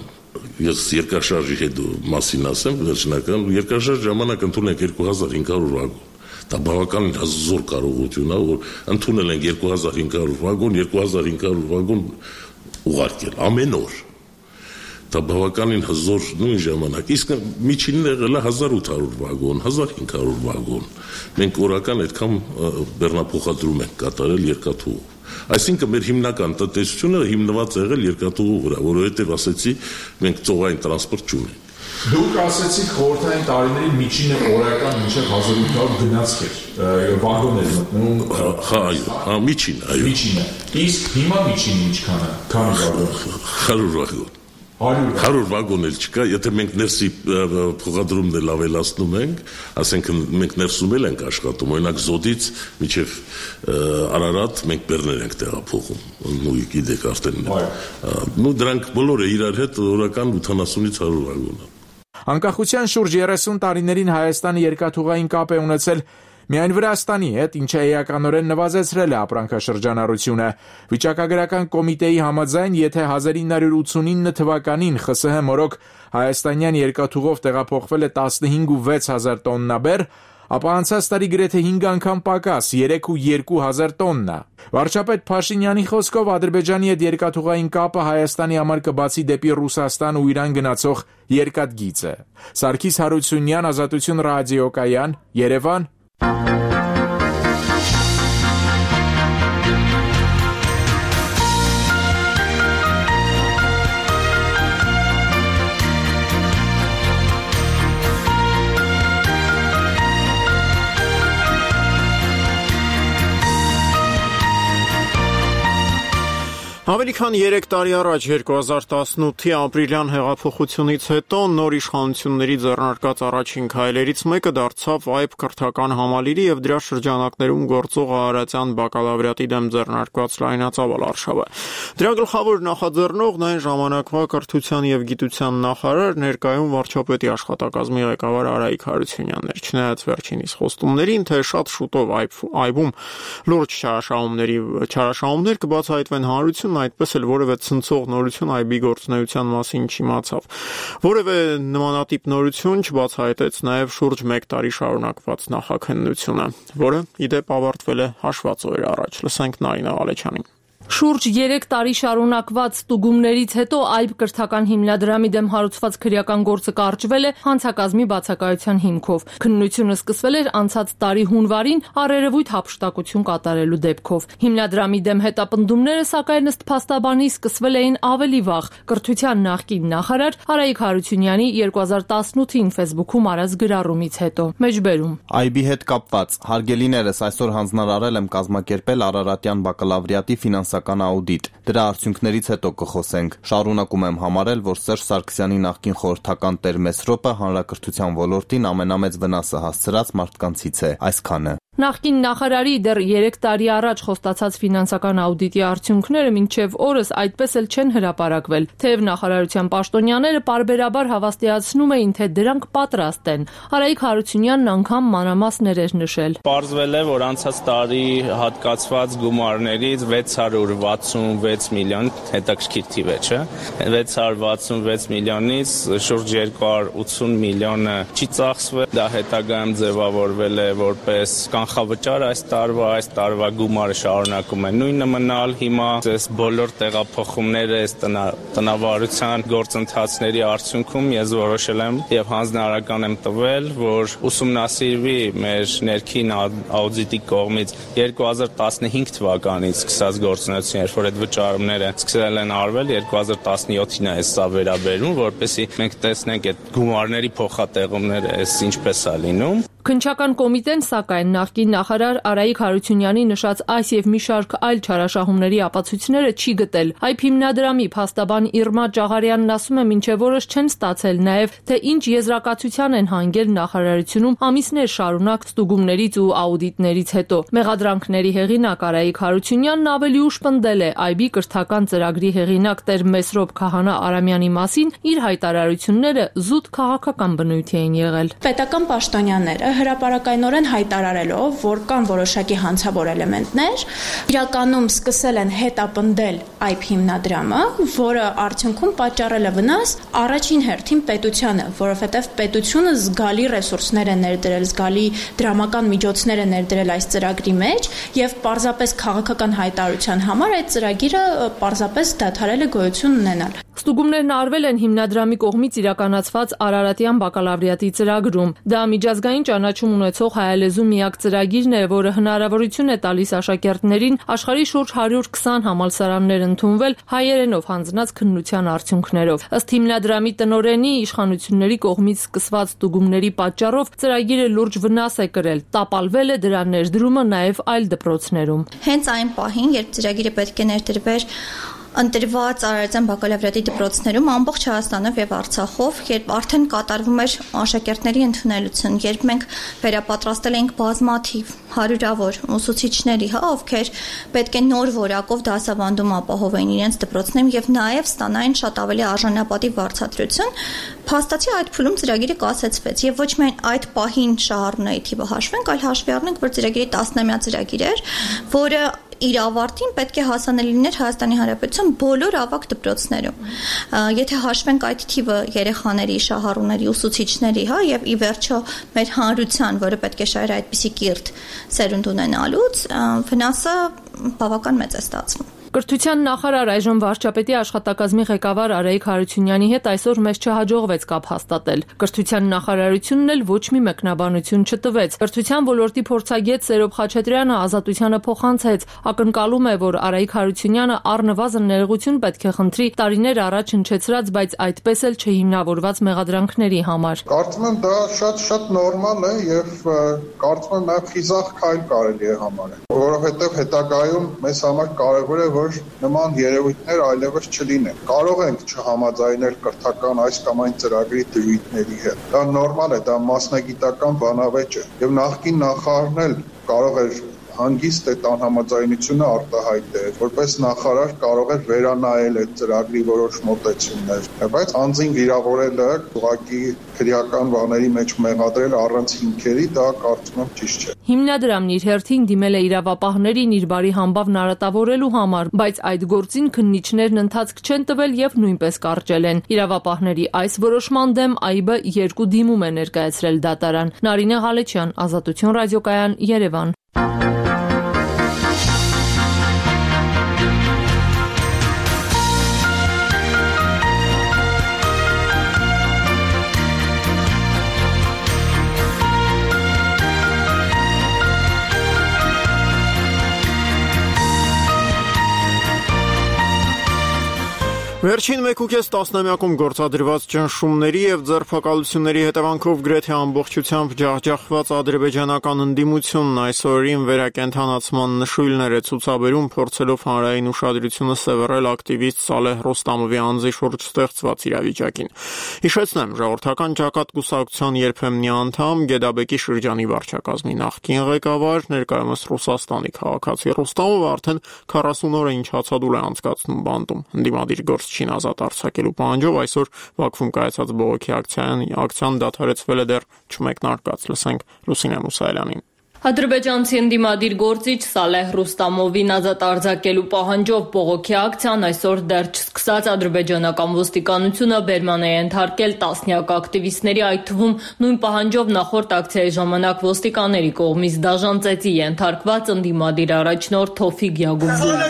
ես երկրաշարժի հետ մասին ասեմ, վերջնական երկրաշարժ ժամանակ ընդունել ենք երկու հազար հինգ հարյուր վագոն։ Դա բավականին հզոր կարողություն է, որ ընդունել ենք երկու հազար հինգ հարյուր վագոն, երկու հազար հինգ հարյուր վագոն ուղարկել ամեն օր։ Դա բավականին հզոր նույն ժամանակ։ Իսկ միջինն եղել է հազար ութ հարյուր վագոն, հազար հինգ հարյուր վագոն։ Մենք օրական այդքան բեռնափոխադրում ենք կատարել երկաթուղու։ Այսինքն մեր հիմնական տնտեսությունը հիմնված է եղել երկաթուղու վրա, որովհետև ասեցի մենք ծովային տրանսպորտ չունենք։ Դուք ասեցիք խորհրդային տարիների միջինը օրական մինչև հազար ութ հարյուր գնացք էր, վագոն էր մտնում։ Հա, այո, հա, միջինը, այո։ Միջինը։ Իսկ հիմա միջինը ինչքան է, քանի վագոն։ հարյուր վագոն։ հարյուր վագոն էլ չկա, եթե մենք ներսի փոխադրումն էլ ավելացնում ենք, ասենք մենք ներսում էլ ենք աշխատում, օրինակ Զոդից մինչև Արարատ մենք բեռներ ենք տեղափոխում, ու գիտեք արդեն։ Նու դրանք բոլորը իրար հետ օրական ութանասունից հարյուր վագոն է։ Անկախության շուրջ երեսուն տարիներին Հայաստանը երկաթուղային կապ է ունեցել միայն Վրաստանի հետ, ինչը էականորեն նվազեցրել է ապրանքաշրջանառությունը։ Վիճակագրական կոմիտեի համաձայն, եթե հազար ինը հարյուր ութսունինը թվականին ԽՍՀՄ մորոք հայաստանյան երկաթուղով տեղափոխվել է տասնհինգ ու վեց հազար տոննա բեռ, ապա անցած տարի գրեթե հինգ անգամ պակաս երեք ու երկու հազար տոննա։ Վարչապետ Փաշինյանի խոսքով Ադրբեջանի հետ երկաթուղային կապը Հայաստանի համար կբացի դեպի Ռուսաստան ու Իրան գնացող երկաթգիծը։ Սարգիս Հարությունյան, Ազատություն ռադիոկայան, Երևան։ Ավելի քան երեք տարի առաջ երկու հազար տասնութի ապրիլյան հեղափոխությունից հետո նոր իշխանությունների ձեռնարկած առաջին քայլերից մեկը դարձավ այբ կրթական համալիրի եւ դրա շրջանակներում գործող Արարատյան բակալավրիատի դեմ ձեռնարկված լայնածավալ արշավը։ Դրա գլխավոր նախաձեռնողն այն ժամանակվա կրթության եւ գիտության նախարար, ներկայում վարչապետի աշխատակազմի ղեկավար Արայիկ Հարությունյանն էր։ Չնայած վերջինիս խոստումներին, թե շատ շուտով այբում լուրջ չարաշահումների չարաշահումներ կբացահայտվեն հանրություն, այդպես էլ որևէ ցնցող նորություն այբի գործունեության մասին չիմացավ։ Որևէ նմանատիպ նորություն չբացահայտեց նաև շուրջ մեկ տարի շարունակված նախաքննությունը, որը ի դեպ ավարտվել է հաշված օրեր առաջ։ Լսենք Նարինե Ղալեչյանին։ Շուրջ երեք տարի շարունակված ստուգումներից հետո այբ կրթական հիմնադրամի դեմ հարուցված քրեական գործը կարճվել է հանցակազմի բացակայության հիմքով։ Քննությունը սկսվել էր անցած տարի հունվարին առերևույթ հափշտակություն կատարելու դեպքով։ Հիմնադրամի դեմ հետապնդումները, սակայն ըստ փաստաբանի, սկսվել էին ավելի վաղ։ Կրթության նախկին նախարար Արայիկ Հարությունյանի երկու հազար տասնութին Facebook-ում արած գրառումից հետո։ Մեջբերում Այբի հետ կապված հարգելիներս, այսօր հանձնարարել եմ կազմակերպել Արարատյան բակալավրիատի ֆինանսական աուդիտ։ Դրա արդյունքներից հետո կխոսենք։ Շարունակում եմ համարել, որ Սերժ Սարգսյանի նախկին խորհրդական Տեր Մեսրոպը հանրակրթության ոլորտին ամենամեծ վնասը հասցրած մարդկանցից է։ Այսքանը։ Նախկին նախարարի դեռ երեք տարի առաջ խոստացած ֆինանսական աուդիտի արդյունքները մինչև օրս այդպես էլ չեն հրապարակվել, թեև նախարարության պաշտոնյաները պարբերաբար հավաստիացնում էին, թե դրանք պատրաստ են։ Արայիկ Հարությունյանն անգամ մանրամասներ էր նշել։ Պարզվել է, որ անցած տարի հատկացված գումարներից վեց հարյուր վաթսունվեց միլիոն, հետաքրքիր թիվ է, չէ՞։ վեց հարյուր վաթսունվեց միլիոնից շուրջ երկու հարյուր ութսուն միլիոնը չի ծախսվել, դա հետագայում ձևավորվել է որպես կանխավճար այս տարվա, այս տարվա գումարը շարունակում է նույնը մնալ։ Հիմա այս բոլոր տեղափոխումները, այս տնավարության գործընթացների արդյունքում ես որոշել եմ եւ հանձնարարական եմ տվել, որ ուսումնասիրվի մեր ներքին աուդիտի կողմից երկու հազար տասնհինգ թվականից սկսած գործունեություն, երբ որ այդ վճարումները սկսել են արվել, երկու հազար տասնյոթին է սա վերաբերում, որպեսզի մենք տեսնենք այդ գումարների փոխատեղումները այս ինչպես է լինում։ Քննչական կոմիտեն, սակայն, նախկին նախարար Արայիկ Հարությունյանի նշած այս եւ մի շարք այլ չարաշահումների ապացույցները չի գտել։ Այբ հիմնադրամի փաստաբան Իրմա Ճաղարյանն ասում է, մինչև օրս չեն ստացել նաեւ, թե ինչ եզրակացության են հանգել նախարարությունում ամիսներ շարունակ ստուգումներից ու աուդիտներից հետո։ Մեղադրանքների հեղինակ Արայիկ Հարությունյանն ավելի ուշ պնդել է այբի կրթական ծրագրի հեղինակ Տեր Մեսրոպ Քահանա Արամյանի մասին իր հայտարարությունները զուտ քաղաքական բնույթ էին եղել։ Պետական պաշտոնյաները հրապարակայնորեն հայտարարելով, որ կան որոշակի հանցավոր էլեմենտներ, իրականում սկսել են հետապնդել այբ հիմնադրամը, որը արդյունքում պատճառել է վնաս առաջին հերթին պետությանը, որովհետև պետությունը զգալի ռեսուրսներ է ներդրել, զգալի դրամական միջոցներ է ներդրել այս ծրագրի մեջ եւ պարզապես քաղաքական հայտարարության համար այդ ծրագիրը պարզապես դադարել է գոյություն ունենալ։ Ստուգումներն արվել են հիմնադրամի կողմից իրականացված Արարատյան բակալավրիատի ծրագրում։ Դա միջազգային ճանաչում ունեցող հայալեզու միակ ծրագիրն է, որը հնարավորություն է տալիս աշակերտներին աշխարհի շուրջ հարյուր քսան համալսարաններ ընդունվել հայերենով հանձնած քննության արդյունքներով։ Ըստ հիմնադրամի տնօրենի, իշխանությունների կողմից սկսված ստուգումների պատճառով ծրագիրը լուրջ վնաս է կրել։ Տապալվել է դրա ներդրումը նաև այլ դպրոցներում։ Հենց այն պահին, երբ ծրագիրը պետք է ներդրվեր ընտրված Արարատյան բակալավրիատի դպրոցներում ամբողջ Հայաստանով եւ Արցախով, երբ արդեն կատարվում էր աշակերտների ընդունելություն, երբ մենք վերապատրաստել էինք բազմաթիվ հարյուրավոր ուսուցիչների, հա, ովքեր պետք է նոր որակով դասավանդում ապահովեին իրենց դպրոցներում եւ նաեւ ստանային շատ ավելի արժանապատիվ վարձատրություն, փաստացի այդ փուլում ծրագիրը կասեցվեց եւ ոչ միայն այդ պահին շահառուների թիվը հաշվենք, այլ հաշվի առնենք, որ ծրագիրի տասնամյա ծրագիր էր, որը իր ավարտին պետք է հասանելի լիներ Հայաստանի Հանրապետության բոլոր ավագ դպրոցներում։ Եթե հաշվենք այդ թիվը երեխաների, շահառուների, ուսուցիչների, հա, եւ ի վերջո մեր հանրության, որը պետք է շահեր այդպիսի կիրթ սերունդ ունենալուց, վնասը բավական մեծ է ստացվում։ Կրթության նախարար, այժմ վարչապետի աշխատակազմի ղեկավար Արայիկ Հարությունյանի հետ այսօր մեզ չհաջողվեց կապ հաստատել։ Կրթության նախարարությունն էլ ոչ մի մեկնաբանություն չտվեց։ Կրթության ոլորտի փորձագետ Սերոբ Խաչատրյանը Ազատությանը փոխանցեց, ակնկալում է, որ Արայիկ Հարությունյանը առնվազն ներողություն պետք է խնդրի տարիներ առաջ հնչեցրած, բայց այդպես էլ չհիմնավորված մեղադրանքների համար։ Կարծում եմ դա շատ-շատ նորմալ է եւ կարծում եմ նաեւ խիզախ քայլ կարելի է համարել, որովհետեւ հետագայում մեզ համար կարեւոր է, որ նման երևույթներ այլևս չլինեն։ Կարող ենք չհամաձայնել կրթական այս կամ այն ծրագրի դրույթների հետ։ Դա նորմալ է, դա մասնագիտական բանավեճ է, եւ նախկին նախարարն էլ կարող էր հանգիստ այդ անհամաձայնությունը արտահայտել, որպես նախարար կարող էր վերանայել այդ ծրագրի որոշ մոտեցումներ, բայց անձին վիրավորելը ուղղակի քրեական բաների մեջ մեղադրել առանց հիմքերի, դա կարծում եմ ճիշտ չէ։ Հիմնադրամն իր հերթին դիմել է իրավապահներին իր բարի համբավն արատավորելու համար, բայց այդ գործին քննիչներն ընթացք չեն տվել եւ նույնպես կարճել են։ Իրավապահների այս որոշման դեմ ԱԻԲ-ը երկու դիմում է ներկայացրել դատարան։ Նարինե Ղալեչյան, Ազատություն ռադիոկայան, Երևան։ Վերջին մեկուկես տասնամյակում գործադրված ճնշումների եւ ձերբակալությունների հետևանքով գրեթե ամբողջությամբ ջախջախված ադրբեջանական ընդդիմությունն այս օրերին վերակենդանացման նշույլներ է ցուցաբերում, փորձելով հանրային ուշադրությունը սևեռել ակտիվիստ Սալեհ Ռոստամովի անձի շուրջ ստեղծված իրավիճակին։ Հիշեցնեմ, ժողովրդական ճակատ կուսակցության երբեմնի անդամ Գեդաբեկի շրջանի վարչակազմի նախկին ղեկավար, ներկայումս Ռուսաստանի քաղաքացի Ռոստամովը արդեն քառասուն օր է ինչ հացադուլ է անցկացնում բանտում։ Ընդդիմադիր գործ Չին ազատ արձակելու պահանջով այսօր Բաքվում կայացած բողոքի ակցիան ակցիան դադարեցվել է դեռ չմեկնարկած։ Լսենք Լուսինե Մուսայելյանին։ Ադրբեջանցի ընդդիմադիր գործիչ Սալեհ Ռուստամովին ազատ արձակելու պահանջով բողոքի ակցիան այսօր դեռ չսկսած ադրբեջանական ոստիկանությունը բերման է ենթարկել տասնյակ ակտիվիստների, այդ թվում նույն պահանջով նախորդ ակցիայի ժամանակ ոստիկանների կողմից դաժան ծեծի ենթարկված ընդդիմադիր առաջնորդ Թոֆիկ Յագուբլին։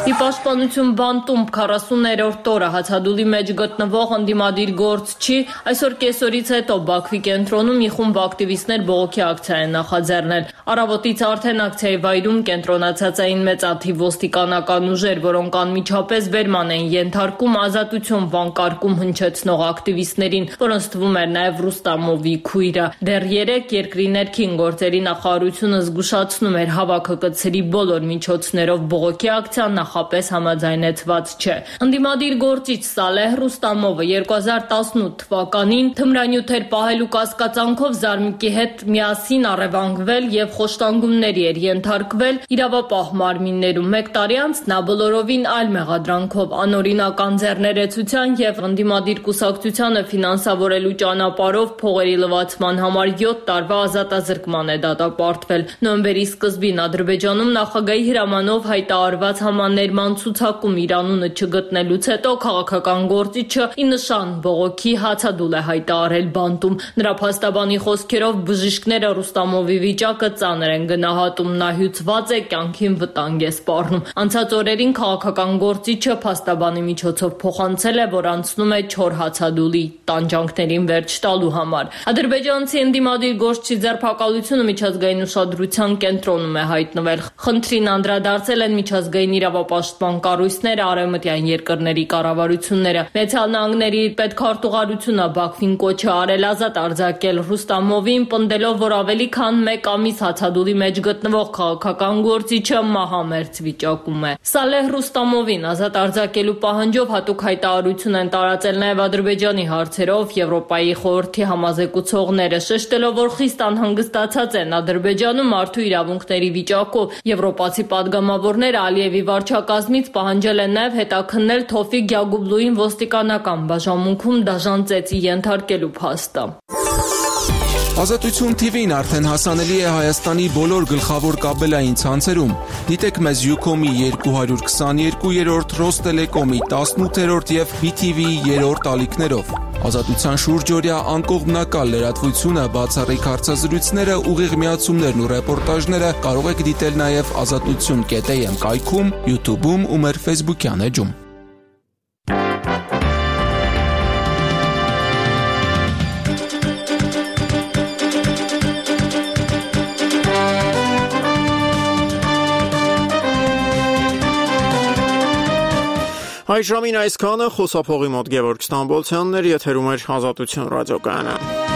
Ի պաշտպանություն բանտում քառասուններորդ օրը հացադուլի մեջ գտնվող ընդդիմադիր գործչի այսօր կեսօրից հետո Բաքվի կենտրոնում մի խումբ ակտիվիստներ բողոքի ակցիա են նախաձեռնել։ Առավոտից արդեն ակցիայի վայրում կենտրոնացած էին մեծաթիվ ոստիկանական ուժեր, որոնք անմիջապես բերման էին ենթարկում ազատություն վանկարկում հնչեցնող ակտիվիստներին, որոնց թվում էր նաև Ռուստամովի քույրը։ Դեռ երեք երկրի ներքին գործերի նախարարությունը զգուշացնում էր հավաքը կցրի բոլոր միջոցներով բողոքի ակցիան նախապես համաձայնեցված չէ։ Ընդդիմադիր գործիչ Սալեհ Ռուստամովը երկու հազար տասնութ թվականին թմրանյութեր պահելու կասկածանքով Զարմիկի հետ միասին առևանգվել եւ խոշտանգումների էր ենթարկվել իրավապահ մարմիններում։ Մեկ տարի անց նա բոլորովին այլ մեղադրանքով անօրինական ձեռներեցության եւ ընդդիմադիր կուսակցությանը ֆինանսավորելու ճանապարհով փողերի լվացման համար յոթ տարվա ազատազրկման է դատապարտվել։ Նոյեմբերի սկզբին Ադրբեջանում նախագահի հրամանով հայտարարված համաներման ցուցակում իր անունը չգտնելուց հետո քաղաքական գործիչը ի նշան բողոքի հացադուլ է հայտարարել բանտում։ Նրա փաստաբանի խոսքերով բժիշկները Ռուստամովի վիճակը ծանր են գնահատում, նա հյուծված է, կյանքին վտանգ է սպառնում։ Անցած օրերին քաղաքական գործիչը փաստաբանի միջոցով փոխանցել է, որ անցնում է չոր հացադուլի տանջանքներին վերջ տալու համար։ Ադրբեջանցի ընդդիմադիր գործչի ձերբակալությունը միջազգային ուշադրության կենտրոնում է հայտնվել։ Խնդրին անդրադարձել են միջազգային իրավապաշտպան կառույցները, արևմտյան երկրների կառավարությունները։ Միացյալ Նահանգների պետքարտուղարությունը Բաքվին կոչ է արել ազատ արձակել Ռուստամովին, պնդելով, որ ավելի քան մեկ ամիս հացադուլի մեջ գտնվող քաղաքական գործիչը մահամերձ վիճակում է։ Սալեհ Ռուստամովին ազատ արձակելու պահանջով հատուկ հայտարարություն են տարածել նաև Ադրբեջանի հարցերով Եվրոպայի խորհրդի համազեկուցողները, շեշտելով, որ խիստ անհանգստացած են Ադրբեջանում մարդու իրավունքների վիճակով։ Եվրոպացի падգամավորները Ալիևի վարչակազմից պահանջել են նաև հետաքննել Թոֆիկ Յագուբլուին ոստիկանական բաժանմունքում դաժան ծեծի ենթարկելու փաստը։ Ազատություն թիվին արդեն հասանելի է Հայաստանի բոլոր գլխավոր կաբելային ցանցերում։ Դիտեք մեզ Յուքոմի երկու հարյուր քսաներկուերորդ, Ռոստելեկոմի տասնութերորդ եւ բի թի վիի երրորդ ալիքներով։ Ազատության շուրջօրյա անկողմնակալ լրատվությունը, բացառիկ հարցազրույցները, ուղիղ միացումներն ու ռեպորտաժները կարող եք դիտել նաև ազատություն կետ էյ էմ կայքում, YouTube-ում ու մեր Facebook-յան էջում։ Այժմին այսքանը, խոսափողի մոտ Գևորգ Ստամբոլցյանն էր, եթերում էր Ազատություն ռադիոկայանը։